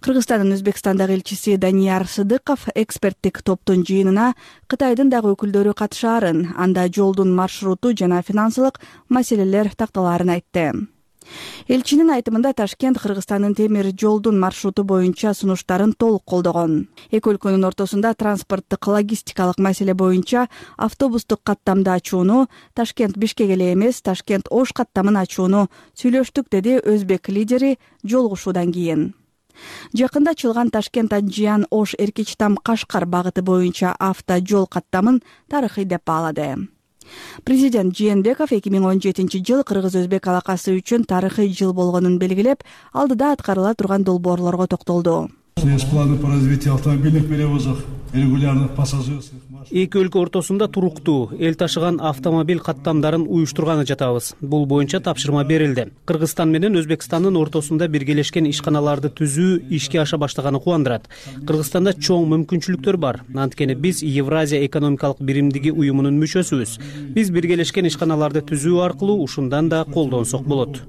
Кыргызстандын Өзбекстандагы элчиси Данияр Сыдыков эксперттик топтун жыйынына Кытайдын дагы өкүлдөрү катышаарын, анда жолдун маршруту жана финансылык маселелер такталаарын айтты. Элчинин айтымында Ташкент Кыргызстандын темир жолдун маршруту боюнча сунуштарын толук колдогон. Эки өлкөнүн ортосунда транспорттук логистикалык маселе боюнча автобустук каттамды ачууну, Ташкент-Бишкек эле эмес, Ташкент-Ош каттамын ачууну сүйлөштүк, деди өзбек лидери жолугушуудан кийин. Жакында ачылган Ташкент-Анжиян-Ош Эркичтам-Кашкар багыты боюнча автожол каттамын тарыхый деп баалады. Президент Жээнбеков эки миң он жетинчи жыл кыргыз-өзбек алакасы үчүн тарыхый жыл болгонун белгилеп, алдыда аткарыла турган долбоорлорго токтолду. Есть планы по развитию автомобильных перевозок, регулярных пассажирских машин. Эки өлкө ортосунда туруктуу эл ташыган автомобиль каттамдарын уюштурганы жатабыз. Бул боюнча тапшырма берилди. Кыргызстан менен Өзбекстандын ортосунда биргелешкен ишканаларды түзүү ишке аша баштаганы кубандырат. Кыргызстанда чоң мүмкүнчүлүктөр бар. Анткени биз Евразия экономикалык биримдиги уюмунун мүчөсүбүз. Биз биргелешкен ишканаларды түзүү аркылуу ушундан да колдонсок болот.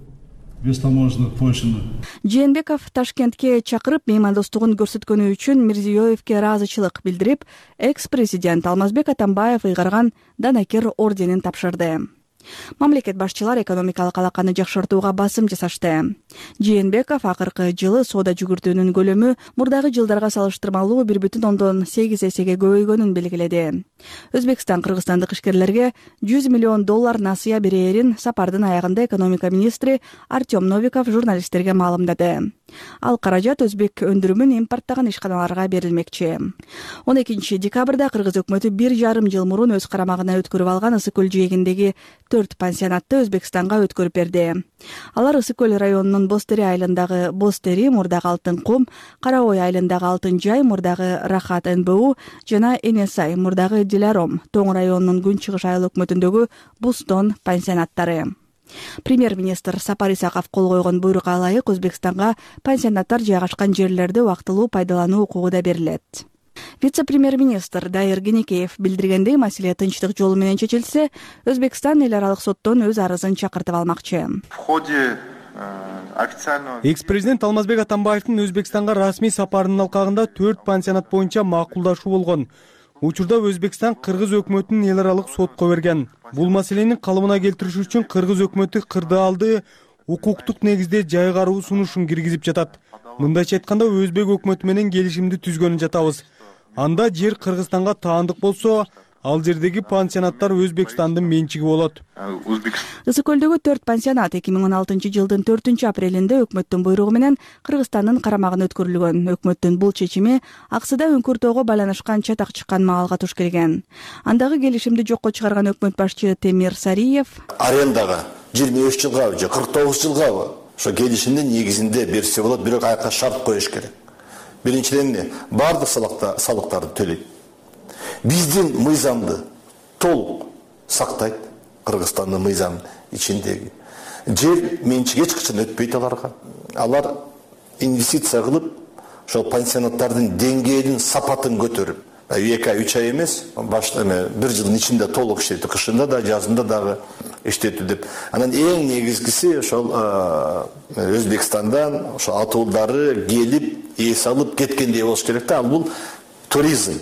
бестаможенных Польшаны. Жээнбеков Ташкентке чакырып меймандостугун көрсөткөнү үчүн Мирзиёевке ыраазычылык билдирип, экс-президент Алмазбек Атамбаев ыйгарган Данакер орденин тапшырды. Мамлекет башчылар экономикалык алаканы жакшыртууга басым жасашты. Жээнбеков акыркы жылы соода жүгүртүүнүн көлөмү мурдагы жылдарга салыштырмалуу бир бүтүн ондон сегиз эсеге көбөйгөнүн белгиледи. Өзбекстан кыргызстандык ишкерлерге жүз миллион доллар насыя берээрин сапардын аягында экономика министри Артем Новиков журналисттерге маалымдады. Ал каражат өзбек өндүрүмүн импорттаган ишканаларга берилмекчи. он экинчи декабрда кыргыз өкмөтү бир жарым жыл мурун өз карамагына өткөрүп алган Ысык көл жээгиндеги төрт пансионатты Өзбекстанга өткөрүп берди. Алар Ысык көл районунун Бостери айылындагы Бостери, мурдагы Алтын кум, Кара Ой айылындагы Алтын жай, мурдагы Рахат эн бэ у жана Энесай, мурдагы Диларом, Тоң районунун Күн чыгыш айыл өкмөтүндөгү Бустон пансионаттары. Премьер-министр Сапар Исаков кол койгон буйрукка ылайык Өзбекстанга пансионаттар жайгашкан жерлерди убактылуу пайдалануу укугу да берилет. Вице-премьер-министр Дайыр Генекеев билдиргендей, маселе тынчтык жолу менен чечилсе, Өзбекстан эл аралык соттон өз арызын чакыртып алмакчы. Экс-президент Алмазбек Атамбаевдин Өзбекстанга расмий сапарынын алкагында төрт пансионат боюнча макулдашуу болгон. Учурда Өзбекстан кыргыз өкмөтүнүн эл аралык сотко берген. Бул маселени калыбына келтириш үчүн кыргыз өкмөтү кырдаалды укуктук негизде жайгаруу сунушун киргизип жатат. Мындайча айтканда, өзбек өкмөтү менен келишимди түзгөнүн жатабыз. Анда жер Кыргызстанга таандык болсо, ал жердеги пансионаттар Өзбекстандын менчиги болот. Ысык көлдөгү төрт пансионат эки миң он алтынчы жылдын төртүнчү апрелинде өкмөттүн буйругу менен Кыргызстандын карамагына өткөрүлгөн. Өкмөттүн бул чечими аксыда Үңкүр тоого байланышкан чатак чыккан маалга туш келген. Андагы келишимди жокко чыгарган өкмөт башчы Темир Сариев арендага жыйырма үч жылгабы же кырк тогуз жылгабы ошо келишимдин негизинде берсе болот, бирок аяка шарт коюш керек. Биринчиден эмне? Бардык салыктарды төлөйт. Биздин мыйзамды толук сактайт. Кыргызстандын мыйзам ичиндеги жер менчиги эч качан өтпөйт аларга. Алар инвестиция кылып, ошол пансионаттардын деңгээлин, сапатын көтөрүп, эки ай, үч ай эмес, башта бир жылдын ичинде толук иштетти, кышында да, жазында дагы иштетти деп. Анан эң негизгиси ошол Өзбекстандан ошо атуулдары келип, эс алып кеткендей болуш керек да. Ал бул туризм.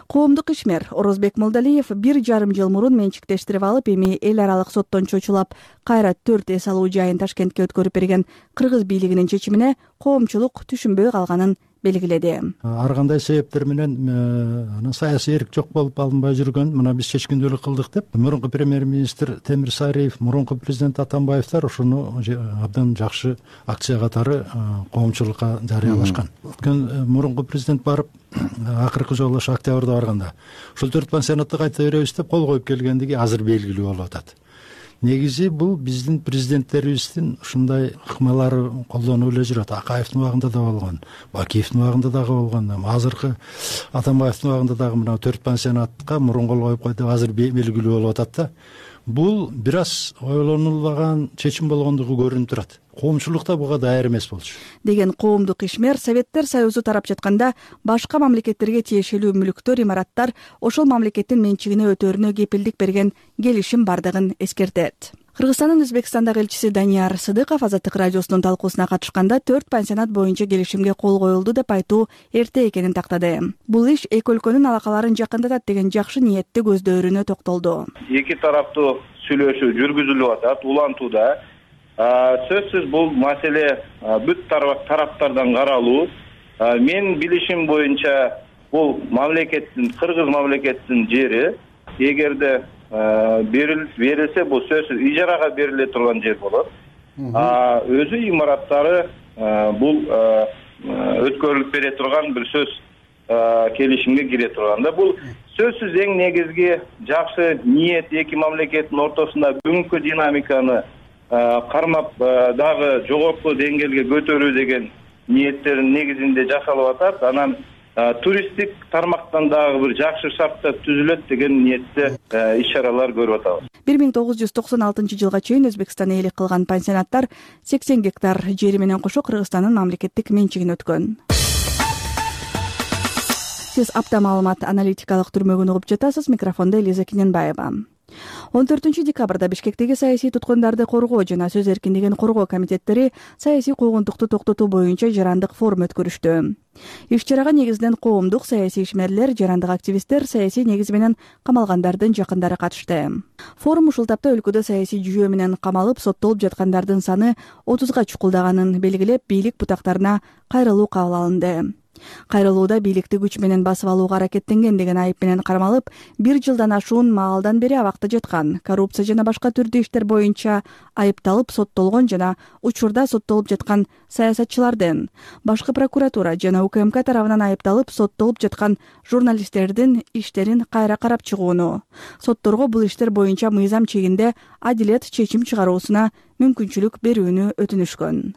Коомдук ишмер Орозбек Молдалиев бир жарым жыл мурун менчиктештирип алып, эми эл аралык соттон чочулап кайра төрт эс алуу жайын Ташкентке өткөрүп берген кыргыз бийлигинин чечимине коомчулук түшүнбөй калганын белгиледи. Ар кандай себептер менен анан саясий эрк жок болуп алынбай жүргөн, мына биз чечкиндүүлүк кылдык деп мурунку премьер-министр Темир Сариев, мурунку президент Атамбаевдер ошону абдан жакшы акция катары коомчулукка жарыялашкан. Өткөн мурунку президент барып акыркы жолу ошо октябрда барганда ошол төрт пансионатты кайта беребиз деп кол коюп келгендиги азыр белгилүү болуп атат. Негизи бул биздин президенттерибиздин ушундай ыкмалары колдонуп эле жүрөт. Акаевдин убагында да болгон, Бакиевдин убагында дагы болгон, азыркы Атамбаевдин убагында дагы мына төрт пансионатка мурун кол коюп койду, азыр белгилүү болуп атат да. Бул бир аз ойлонулбаган чечим болгондугу көрүнүп турат. Коомчулук да буга даяр эмес болчу деген коомдук ишмер Советтер Союзу тарап жатканда башка мамлекеттерге тиешелүү мүлктөр, имараттар ошол мамлекеттин менчигине өтөрүнө кепилдик берген келишим бардыгын эскертет. Кыргызстандын Өзбекстандагы элчиси Данияр Сыдыков Азаттык радиосунун талкуусуна катышканда төрт пансионат боюнча келишимге кол коюлду деп айтуу эрте экенин тактады. Бул иш эки өлкөнүн алакаларын жакындатат деген жакшы ниетти көздөрүнө токтолду. Эки тараптуу сүйлөшүү жүргүзүлүп атат, улантууда. Сөзсүз бул маселе бүт тараптардан каралуу. Мен билишим боюнча бул мамлекеттин, кыргыз мамлекеттин жери, эгерде берилсе бул сөзсүз ижарага бериле турган жер болот. Өзү имараттары бул өткөрүлүп бере турган бир сөз келишимге кире турганда, бул сөзсүз эң негизги жакшы ниет эки мамлекеттин ортосунда бүгүнкү динамиканы кармап дагы жогорку деңгээлге көтөрүү деген ниеттердин негизинде жасалып атат. Анан туристтик тармактан дагы бир жакшы шарттар түзүлөт деген ниетте иш-чаралар көрүп атабыз. бир миң тогуз жүз токсон алтынчы жылга чейин Өзбекстан ээлик кылган пансионаттар сексен гектар жери менен кошо Кыргызстандын мамлекеттик менчигине өткөн. Сиз апта маалымат аналитикалык түрмөгүн угуп жатасыз. Микрофондо Элиза Киненбаева. он төртүнчү декабрда Бишкектеги саясий туткундарды коргоо жана сөз эркиндигин коргоо комитеттери саясий куугунтукту токтотуу боюнча жарандык форум өткөрүштү. Иш-чарага негизинен коомдук саясий ишмерлер, жарандык активисттер, саясий негизи менен камалгандардын жакындары катышты. Форум ушул тапта өлкөдө саясий жүйөө менен камалып, соттолуп жаткандардын саны отузга чукулдаганын белгилеп, бийлик бутактарына кайрылуу кабыл алынды. Кайрылууда бийликти күч менен басып алууга аракеттенген деген айып менен кармалып, бир жылдан ашуун маалдан бери абакта жаткан, коррупция жана башка түрдүү иштер боюнча айыпталып соттолгон жана учурда соттолуп жаткан саясатчылардын, башкы прокуратура жана УКМК тарабынан айыпталып соттолуп жаткан журналисттердин иштерин кайра карап чыгууну, сотторго бул иштер боюнча мыйзам чегинде адилет чечим чыгаруусуна мүмкүнчүлүк берүүнү өтүнүшкөн.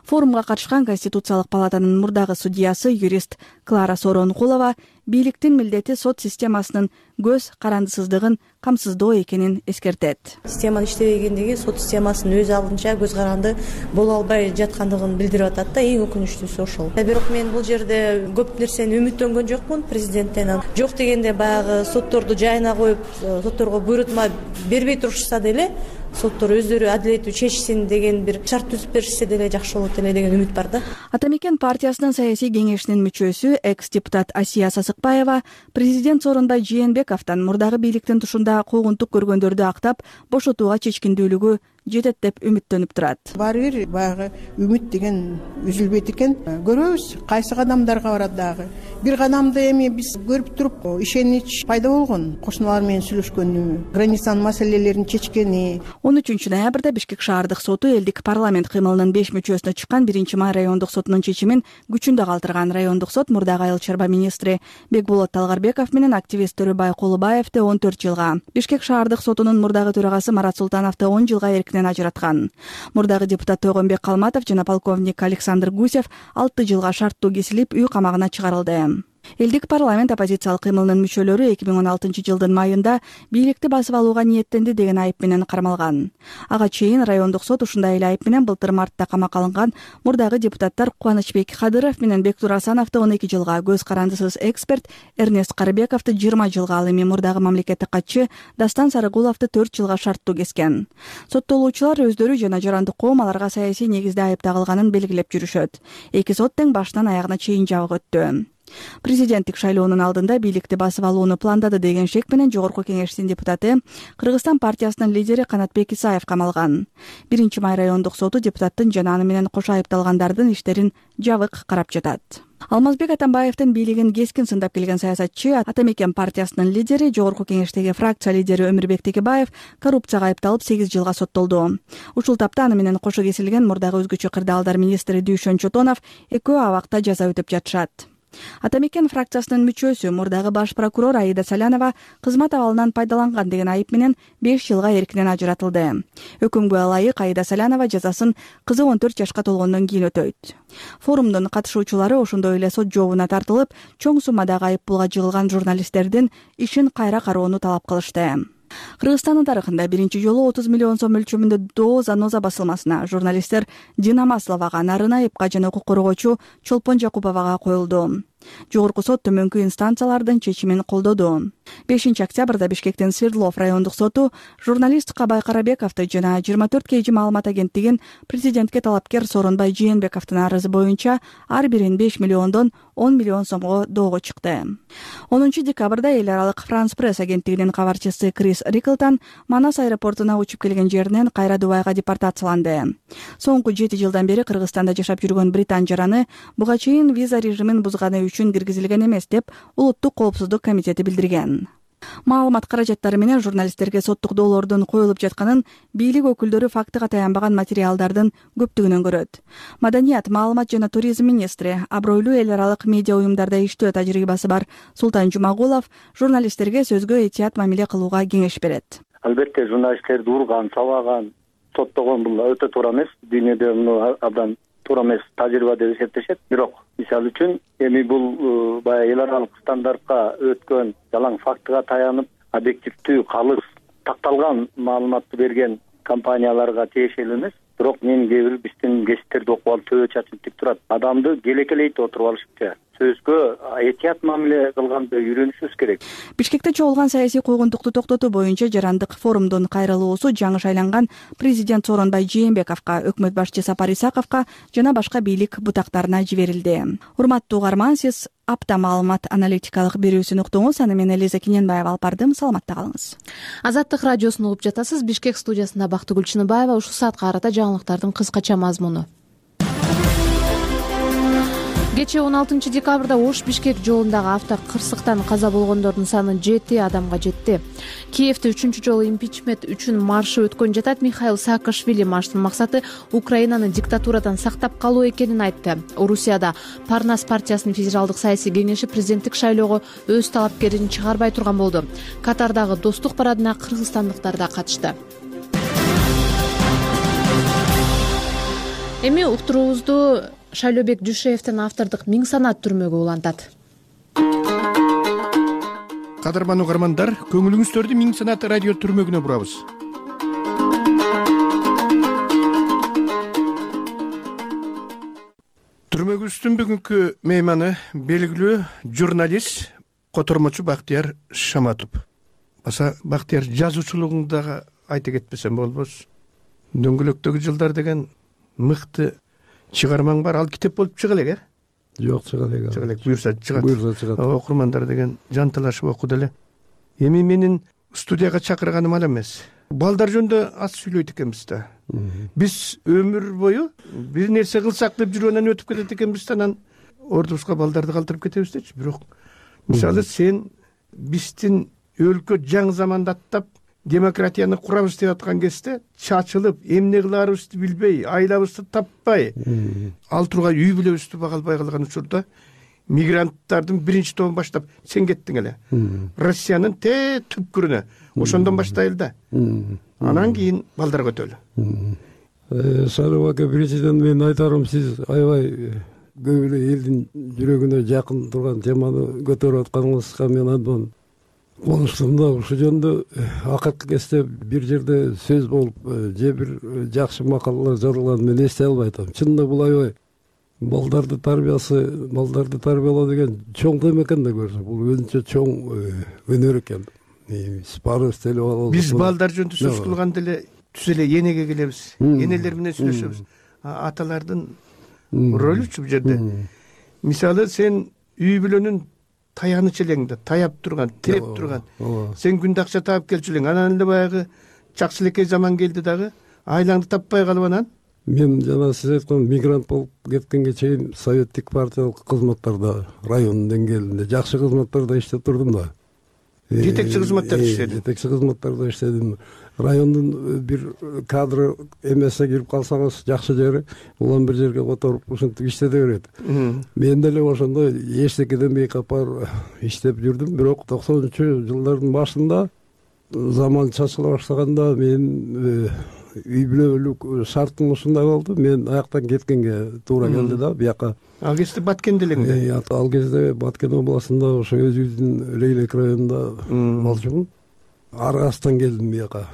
Форумга катышкан Конституциялык палатанын мурдагы судьясы, юрист Клара Сооронкулова бийликтин милдети сот системасынын көз карандысыздыгын камсыздоо экенин эскертет. Система иштебегендиги сот системасынын өз алдынча көз каранды боло албай жаткандыгын билдирип атат да, эң өкүнүчтүүсү ошол. Бирок мен бул жерде көп нерсени үмүттөнгөн жокмун президенттен. Жок дегенде баягы сотторду жайына коюп, сотторго буйрутма бербей турушса деле, соттор өздөрү адилеттүү чечсин деген бир шарт түзүп беришсе деле жакшы болот эле деген үмүт бар да. Ата мекен партиясынын саясий кеңешинин мүчөсү, экс-депутат Асия Сасыкбаева президент Сооронбай Жээнбековдон мурдагы бийликтин тушунда куугунтук көргөндөрдү актап, бошотууга чечкиндүүлүгү жетет деп үмүттөнүп турат. Баары бир баягы үмүт деген үзүлбөйт экен. Көрөбүз кайсы кадамдарга барат дагы. Бир кадамды эми биз көрүп туруп, ишенич пайда болгон. Кошуналар менен сүйлөшкөнү, границанын маселелерин чечкени. он үчүнчү ноябрда Бишкек шаардык соту элдик парламент кыймылынын беш мүчөсүнө чыккан биринчи май райондук сотунун чечимин күчүндө калтырган. Райондук сот мурдагы айыл чарба министри Бекболот Талгарбеков менен активист Төрөбай Кулубаевди он төрт жылга, Бишкек шаардык сотунун мурдагы төрагасы Марат Султановду он жылга эркинен ажыраткан. Мурдагы депутат Тойгонбек Калматов жана полковник Александр Гусев алты жылга шарттуу кесилип, үй камагына чыгарылды. Элдик парламент оппозициялык кыймылынын мүчөлөрү эки миң он алтынчы жылдын майында бийликти басып алууга ниеттенди деген айып менен кармалган. Ага чейин райондук сот ушундай эле айып менен былтыр мартта камакка алынган мурдагы депутаттар Кубанычбек Кадыров менен Бектур Асановду он эки жылга, көз карандысыз эксперт Эрнест Карыбековду жыйырма жылга, ал эми мурдагы мамлекеттик катчы Дастан Сарыгуловду төрт жылга шарттуу кескен. Соттолуучулар өздөрү жана жарандык коом аларга саясий негизде айып тагылганын белгилеп жүрүшөт. Эки сот тең башынан аягына чейин жабык өттү. Президенттик шайлоонун алдында бийликти басып алууну пландады деген шек менен Жогорку Кеңештин депутаты, Кыргызстан партиясынын лидери Канатбек Исаев камалган. биринчи май райондук соту депутаттын жана аны менен кошо айыпталгандардын иштерин жабык карап жатат. Алмазбек Атамбаевдин бийлигин кескин сындап келген саясатчы, Ата мекен партиясынын лидери, Жогорку Кеңештеги фракция лидери Өмүрбек Текебаев коррупцияга айыпталып сегиз жылга соттолду. Ушул тапта аны менен кошо кесилген мурдагы өзгөчө кырдаалдар министри Дүйшөн Чотонов экөө абакта жаза өтөп жатышат. Ата мекен фракциясынын мүчөсү, мурдагы баш прокурор Аида Салянова кызмат абалынан пайдаланган деген айып менен беш жылга эркинен ажыратылды. Өкүмгө ылайык Аида Салянова жазасын кызы он төрт жашка толгондон кийин өтөйт. Форумдун катышуучулары ошондой эле сот жообуна тартылып, чоң суммадагы айып пулга жыгылган журналисттердин ишин кайра кароону талап кылышты. Кыргызстандын тарыхында биринчи жолу отуз миллион сом өлчөмүндө Доо Заноза басылмасына журналисттер Дина Масловага, Нарын Айыпка жана укук коргоочу Чолпон Жакуповага коюлду. Жогорку сот төмөнкү инстанциялардын чечимин колдоду. бешинчи октябрда Бишкектин Свердлов райондук соту журналист Кабай Карабековду жана жыйырма төрт кей жи маалымат агенттигин президентке талапкер Сооронбай Жээнбековдун арызы боюнча ар бирин беш миллиондон он миллион сомго доого чыкты. онунчу декабрда эл аралык Франс Пресс агенттигинин кабарчысы Крис Риклтон Манас аэропортуна учуп келген жеринен кайра Дубайга депортацияланды. Соңку жети жылдан бери Кыргызстанда жашап жүргөн британ жараны буга чейин виза режимин бузганы үчүн киргизилген эмес деп Улуттук коопсуздук комитети билдирген. Маалымат каражаттары менен журналисттерге соттук доолордун коюлуп жатканын бийлик өкүлдөрү фактыга таянбаган материалдардын көптүгүнөн көрөт. Маданият, маалымат жана туризм министри, абройлуу эл аралык медиа уюмдарда иштөө тажрыйбасы бар Султан Жумагулов журналисттерге сөзгө этият мамиле кылууга кеңеш берет. Албетте журналисттерди урган, сабаган, соттогон бул өтө туура эмес. Дүйнөдө муну абдан туура эмес тажрыйба деп эсептешет. Бирок мисалы үчүн эми бул баягы эл аралык стандартка өткөн, жалаң фактыга таянып, объективдүү, калыс, такталган маалыматты берген компанияларга тиешелүү эмес. Бирок мен кээ бир биздин гезиттерди окуп алып төбө чачып тик турат. Адамды келекелейт отуруп алышыпча. сөзгө этият мамиле кылганды үйрөнүшүбүз керек. Бишкекте чогулган саясий койгондукту токтотуу боюнча жарандык форумдун кайрылуусу жаңы шайланган президент Сооронбай Жээнбековго, өкмөт башчы Сапар Исаковго жана башка бийлик бутактарына жиберилди. Урматтуу угарман, сиз апта маалымат аналитикалык берүүсүн уктуңуз. Аны мен Элиза Кененбаева алып бардым. Саламатта калыңыз. Азаттык радиосун угуп жатасыз. Бишкек студиясында Бактыгүл Чыныбаева. Ушул саатка карата жаңылыктардын кыскача мазмуну. Кечээ он алтынчы декабрда Ош Бишкек жолундагы авто кырсыктан каза болгондордун саны жети адамга жетти. Киевде үчүнчү жолу импичмент үчүн маршы өткөн жатат. Михаил Саакашвили марштын максаты Украинаны диктатурадан сактап калуу экенин айтты. Орусияда Парнас партиясынын федералдык саясий кеңеши президенттик шайлоого өз талапкерин чыгарбай турган болду. Катардагы достук парадына кыргызстандыктар да катышты. Эми уктуруубузду Шайлообек Дүйшеевдин автордук Миң санат түрмөгү улантат. Кадырман угармандар, көңүлүңүздөрдү Миң санат радио түрмөгүнө бурабыз. Түрмөгүбүздүн бүгүнкү мейманы белгилүү журналист, котормочу Бактияр Шаматов. Баса Бактияр жазуучулугуңду дагы айта кетпесем болбос. Дөңгөлөктөгү жылдар деген мыкты чыгармаң бар. Ал китеп болуп чыга элек, э? Жок, чыга элек. Чыга элек, буюрса чыгат. Буюрса чыгат. Окурмандар деген жанталашып окуду эле. Эми менин студияга чакырганым ал эмес. Балдар жөнүндө аз сүйлөйт экенбиз да. Биз өмүр бою бир нерсе кылсак деп жүргөндөн өтүп кетет экенбиз да, анан ордубузга балдарды калтырып кетебиз дечи. Бирок мисалы сен биздин өлкө жаңы заманда аттап демократияны курабыз деп аткан кезде чачылып, эмне кыларыбызды билбей, айлабызды таппай, ал тургай үй бүлөбүздү бага албай калган учурда мигранттардын биринчи тобун баштап сен кеттиң эле. Россиянын те түпкүрүнө. Ошондон баштайлы да. Анан кийин балдар көтөлү. Сарып ака, биринчиден мен айтарым, сиз аябай көп эле элдин жүрөгүнө жакын турган теманы көтөрүп атканыңызга мен андан конуштум да. Ушул жөнүндө акыркы кезде бир жерде сөз болуп, же бир жакшы макалалар жазылган, мен эстей албай атам. Чынында бул аябай балдарды тарбиясы, балдарды тарбиялоо деген чоң тема экен да көрсө. Бул өзүнчө чоң өнөр экен. Биз барыбыз телеп алабыз. Биз балдар жөнүндө сөз кылганда эле түз эле энеге келебиз. Энелер менен сүйлөшөбүз. Аталардын ролүчү бул жерде. Мисалы сен үй бүлөнүн таяныч элеңде, таяп турган, тиреп турган. Сен күндө акча таап келчү элең. Анан эле баягы жакшылекей заман келди дагы, айлаңды таппай калып анан. Мен жана сиз айткан мигрант болуп кеткенге чейин советтик партиялык кызматтарда, райондун деңгээлинде жакшы кызматтарда иштеп турдум да. Жетекчи кызматтарда иштедим. Жетекчи кызматтарда иштедим. Райондун бир кадры эмесе кирип калсаңыз жакшы жери, улам бир жерге которуп ушинтип иштете берет. Мен деле ошондой эчтеке демей капар иштеп жүрдүм. Бирок токсонунчу жылдардын башында заман чачыла баштаганда мен үй бүлөлүк шартым ушундай болду. Мен аяктан кеткенге туура келди да, бияка. Ал кезде Баткенде элеңде? Ал кезде Баткен областында, ошо өзүбүздүн Рейлек районунда болчумун. Аргастан келдим бияка.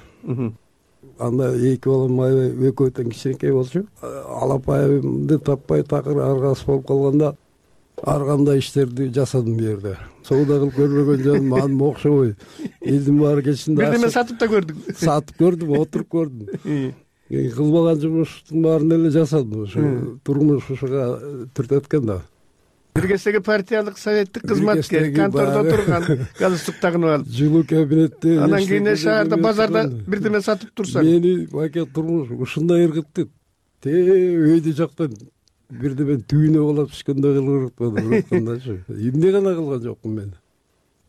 Анда эки балам аябай экөөтөн кичинекей болчу. Алапайымды таппай такыр аргас болуп калганда ар кандай иштерди жасадым бу жерде. Соода кылып көрбөгөн жаным аны окшобой. Элдин баары кечинде бир неме сатып да көрдүң. Сатып көрдүм, отуруп көрдүм. Кылбаган жумуштун баарын эле жасадым. Ошо турмуш ушуга түртөт экен да. Бир кездеги партиялык советтик кызматкер, контордо турган, галстук тагынып алып, жылуу кабинетте. Анан кийин шаарда, базарда бирдеме сатып турсаң. Мени байке турмуш ушундай ыргытты. Те өйдө жактан бирдеме түйүнө болуп түшкөндөй кылып ыргыткандачы. Эмне гана кылган жокмун мен.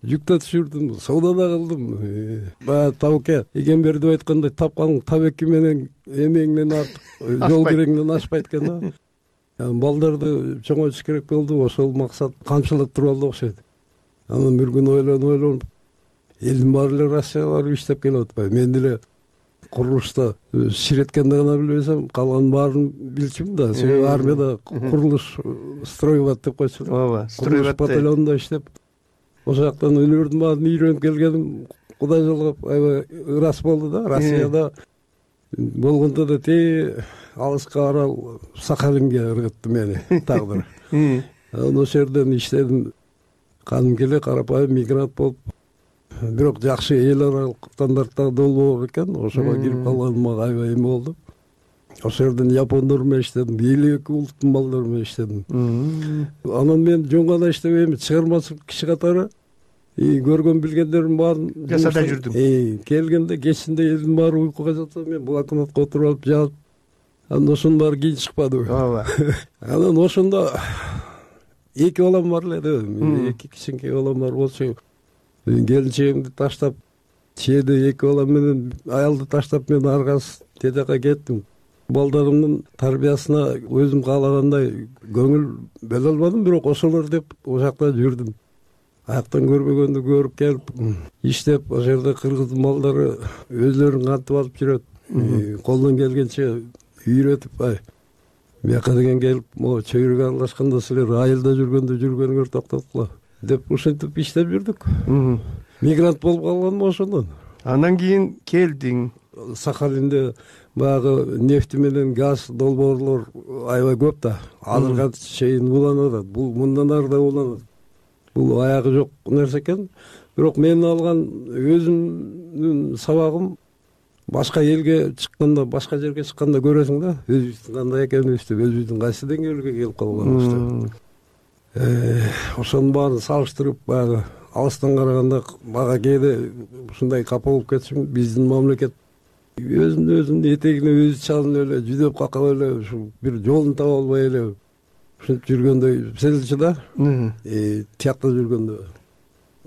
Жүктө түшүрдүм, саудада кылдым. Баягы табыке Эгембердиев айткандай, тапканың табеки менен эмеңден артык жол кереңден ашпайт экен да. Балдарды чоңойтуш керек болду, ошол максат камчылап туруп алды окшойт. Анан бир күн ойлонуп ойлонуп, элдин баары эле Россияга барып иштеп келип атпайбы. Мен деле курулушта ширеткенди гана билбесем, калганын баарын билчүмүн да. Себеби армияда курулуш стройбат деп койчу. Ооба, стройбат батальонунда иштеп, ошол жактан өнөрдүн баарын үйрөнүп келгеним Кудай жолгоп аябай ырас болду да. Россияда болгондо да те алыска арал Сахалинге ыргытты мени тагдыр. анан ошол жерден иштедим, кадимки эле карапайым мигрант болуп, бирок жакшы эл аралык стандарттагы долбоор экен, ошого кирип калганыма аябай эме болду. Ошол жерден япондор менен иштедим, элүү эки улуттун балдары менен иштедим. Анан мен жөн гана иштебейм, чыгармачылык киши катары көргөн билгендерим баарын жасада жүрдүм. Келгенде кечинде элдин баары уйкуга жатса, мен блокнотко отуруп алып жазып, анан ошонун баары кийин чыкпады. Ооба. Анан ошондо эки балам бар эле, эки кичинекей балам бар болчу. Келинчегимди таштап, чээде эки балам менен аялды таштап мен аргасыз тедеке кеттим. Балдарымдын тарбиясына өзүм каалагандай көңүл бөлө албадым, бирок ошолор деп ошол жакта жүрдүм. Аяктан көрбөгөндү көрүп келип, иштеп, ошол жерде кыргыздын балдары өзлөрүн кантип алып жүрөт, колдон келгенче үйрөтүп, ай бияка деген келип, могу чөйрөгө аралашканда силер айылда жүргөндө жүргөнүңөр токтоткула деп ушинтип иштеп жүрдүк. Мигрант болуп калганым ошондон. Андан кийин келдиң. Сахалинде баягы нефти менен газ долбоорлор аябай көп да. Азырга чейин уланып атат. Бул мындан ары да уланат. Бул аягы жок нерсе экен. Бирок мен алган өзүмдүн сабагым башка элге чыкканда, башка жерге чыкканда көрөсүң да, өзүбүздүн кандай экенибизди, өзүбүздүн кайсы деңгээлге келип калганыбызды. Ошонун баарын салыштырып, баягы алыстан караганда мага кээде ушундай капа болуп кетишим, биздин мамлекет өзүнүн өзүнүн этегине өзү чалынып эле, жүдөп какап эле, ушу бир жолун таба албай эле ушинтип жүргөндөй сезилчү да. Тиякта жүргөндө.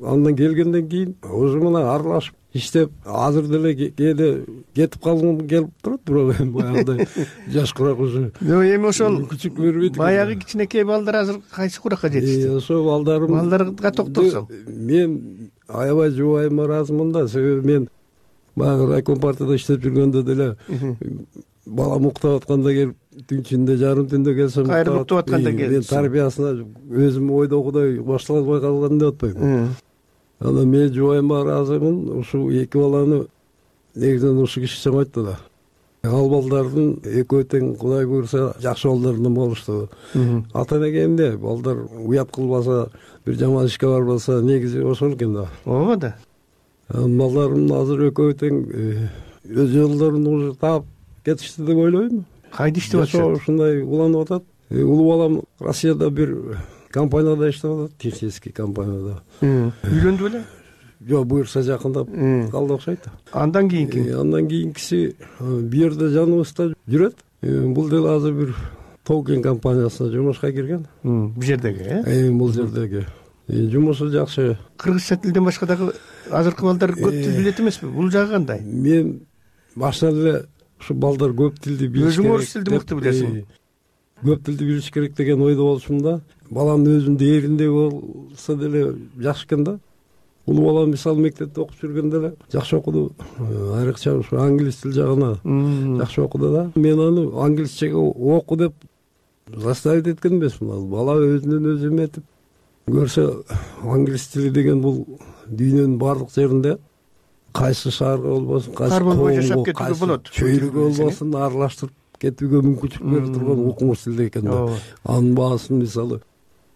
Андан келгенден кийин уже мына аралашып иштеп, азыр деле кээде кетип калгым келип турат, бирок эми баягыдай жашкыраак уже. Эми ошол күчүк бербейт. Баягы кичинекей балдар азыр кайсы куракка жетишти? Ошол балдарым. Балдарга токтолсоң. Мен аябай жубайым ыраазымын да, себеби мен баягы райком партияда иштеп жүргөндө деле балам уктап атканда келип, түн ичинде жарым түндө келсем, кайрылып уктап атканда келип, мен тарбиясына өзүм ойдогудай баштала албай калган деп атпайм. Анан мен жубайыма ыраазымын, ушул эки баланы негизинен ушул киши чамайтты да. Ал балдардын экөө тең Кудай буйруса жакшы балдарынан болушту. Ата эне эмне, балдар уят кылбаса, бир жаман ишке барбаса, негизи ошол экен да. Ооба да. Балдарым азыр экөө тең өз жолдорун уже таап кетишти деп ойлойм. Кайда иштеп атышат? Ушундай уланып атат. Улуу балам Россияда бир компанияда иштеп атат, технический компанияда. Үйлөндү беле? Жок, буюрса жакындап калды окшойт. Андан кийинки? Андан кийинкиси бу жерде жаныбызда жүрөт. Бул деле азыр бир Толкен компаниясына жумушка кирген. Бу жердеги, э? Бул жердеги. Жумушу жакшы. Кыргызча тилден башка дагы азыркы балдар көп тил билет эмеспи? Бул жагы кандай? Мен башынан эле ушу балдар көп тилди билиш керек. Өзүң орус тилди мыкты билесиң. Көп тилди билиш керек деген ойдо болчумун да. Баламдын өзүнүн дээринде болсо деле жакшы экен да. Улуу балам мисалы мектепте окуп жүргөндө эле жакшы окуду. Айрыкча ушу англис тил жагына жакшы окуду да. Мен аны англисчеге оку деп заставить эткен эмесмин. Бала өзүнөн өзү эметип көрсө, англис тили деген бул дүйнөнүн баардык жеринде кайсы шаарга болбосун, кайсы коомго, кайсы чөйрөгө болбосун аралаштырып кетүүгө мүмкүнчүлүк берип турган укмуш тил экен да. Анын баасын мисалы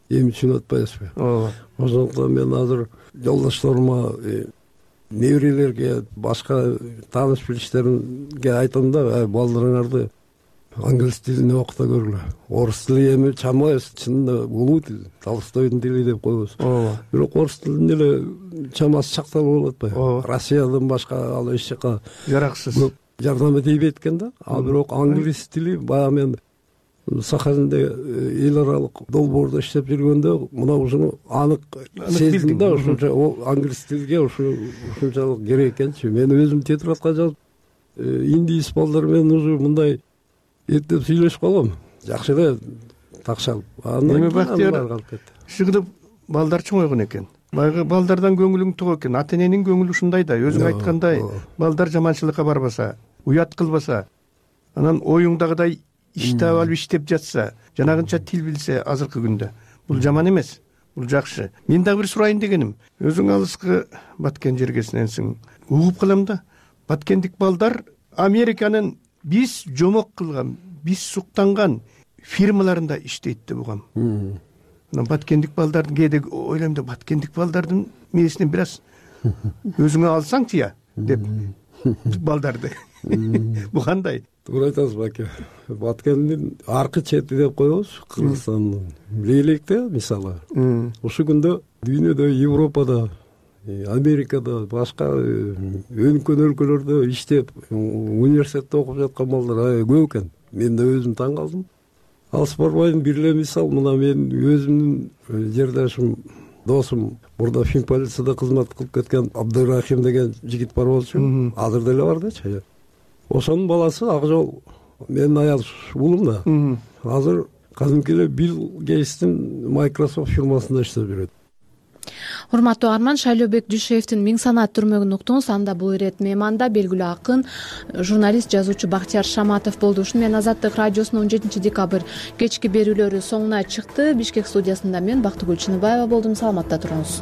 эми түшүнүп атпайбызбы? Ооба. Ошондуктан мен азыр жолдошторума, неберелерге, башка тааныш билиштеримге айтам да, балдарыңарды англис тилине окута көргүлө. Орус тили эми чамайбыз, чынында улуу тил, Толстойдун тили деп коебуз. Бирок орус тилин деле чамасы чакталып болуп атпайбы? Россиядан башка ал эч жака жараксыз. Жардам этейбейт экен да. А бирок англис тили баягы мен Сахалинде эл аралык долбоордо иштеп жүргөндө мына ушуну анык сездим да, ушунча англис тилге ушунчалык керек экенчи. Мен өзүм тетрадка жазып, индис балдар менен уже мындай эптеп сүйлөшүп калгам. Жакшы эле такшалып. Эми Бактияр шыгынып балдар чоңойгон экен. Баягы балдардан көңүлүң тоо экен. Ата эненин көңүлү ушундай да. Өзүң айткандай, балдар жаманчылыкка барбаса, уят кылбаса, анан оюңдагыдай иш таап алып иштеп жатса, жанагынча тил билсе азыркы күндө. Бул жаман эмес. Бул жакшы. Мен дагы бир сурайын дегеним. Өзүң алыскы Баткен жергесиненсиң. Угуп калам да. Баткендик балдар Американын биз жомок кылган, биз суктанган фирмаларында иштейт деп угам. мына баткендик балдардын кээде ойлойм да, баткендик балдардын мээсинен бир аз өзүңө алсаңчы я деп балдарды. Бул кандай? Туура айтасыз баке. Баткендин аркы чети деп коебуз, Кыргызстандын. Билелик да, мисалы. Ушул күндө дүйнөдө, Европада, Америкада, башка өнүккөн өлкөлөрдө иштеп, университетте окуп жаткан балдар көп экен. Мен да өзүм таң калдым. Алыс барбайм, бир эле мисал, мына мен өзүмдүн жердашым, досум, мурда фин полицияда кызмат кылып кеткен Абдырахим деген жигит бар болчу. Азыр деле бар дечи. Ошонун баласы ак жол менин аял уулум да. Азыр кадимки эле Билл Гейтстин Microsoft фирмасында иштеп жүрөт. Урматтуу Арман, Шайлообек Дүйшеевдин Миң санаат түрмөгүн уктуңуз. Анда бул ирет мейманда белгилүү акын, журналист, жазуучу Бактияр Шаматов болду. Ушуну менен Азаттык радиосунун он жетинчи декабрь кечки берүүлөрү соңуна чыкты. Бишкек студиясында мен Бактыгүл Чыныбаева болдум. Саламатта туруңуз.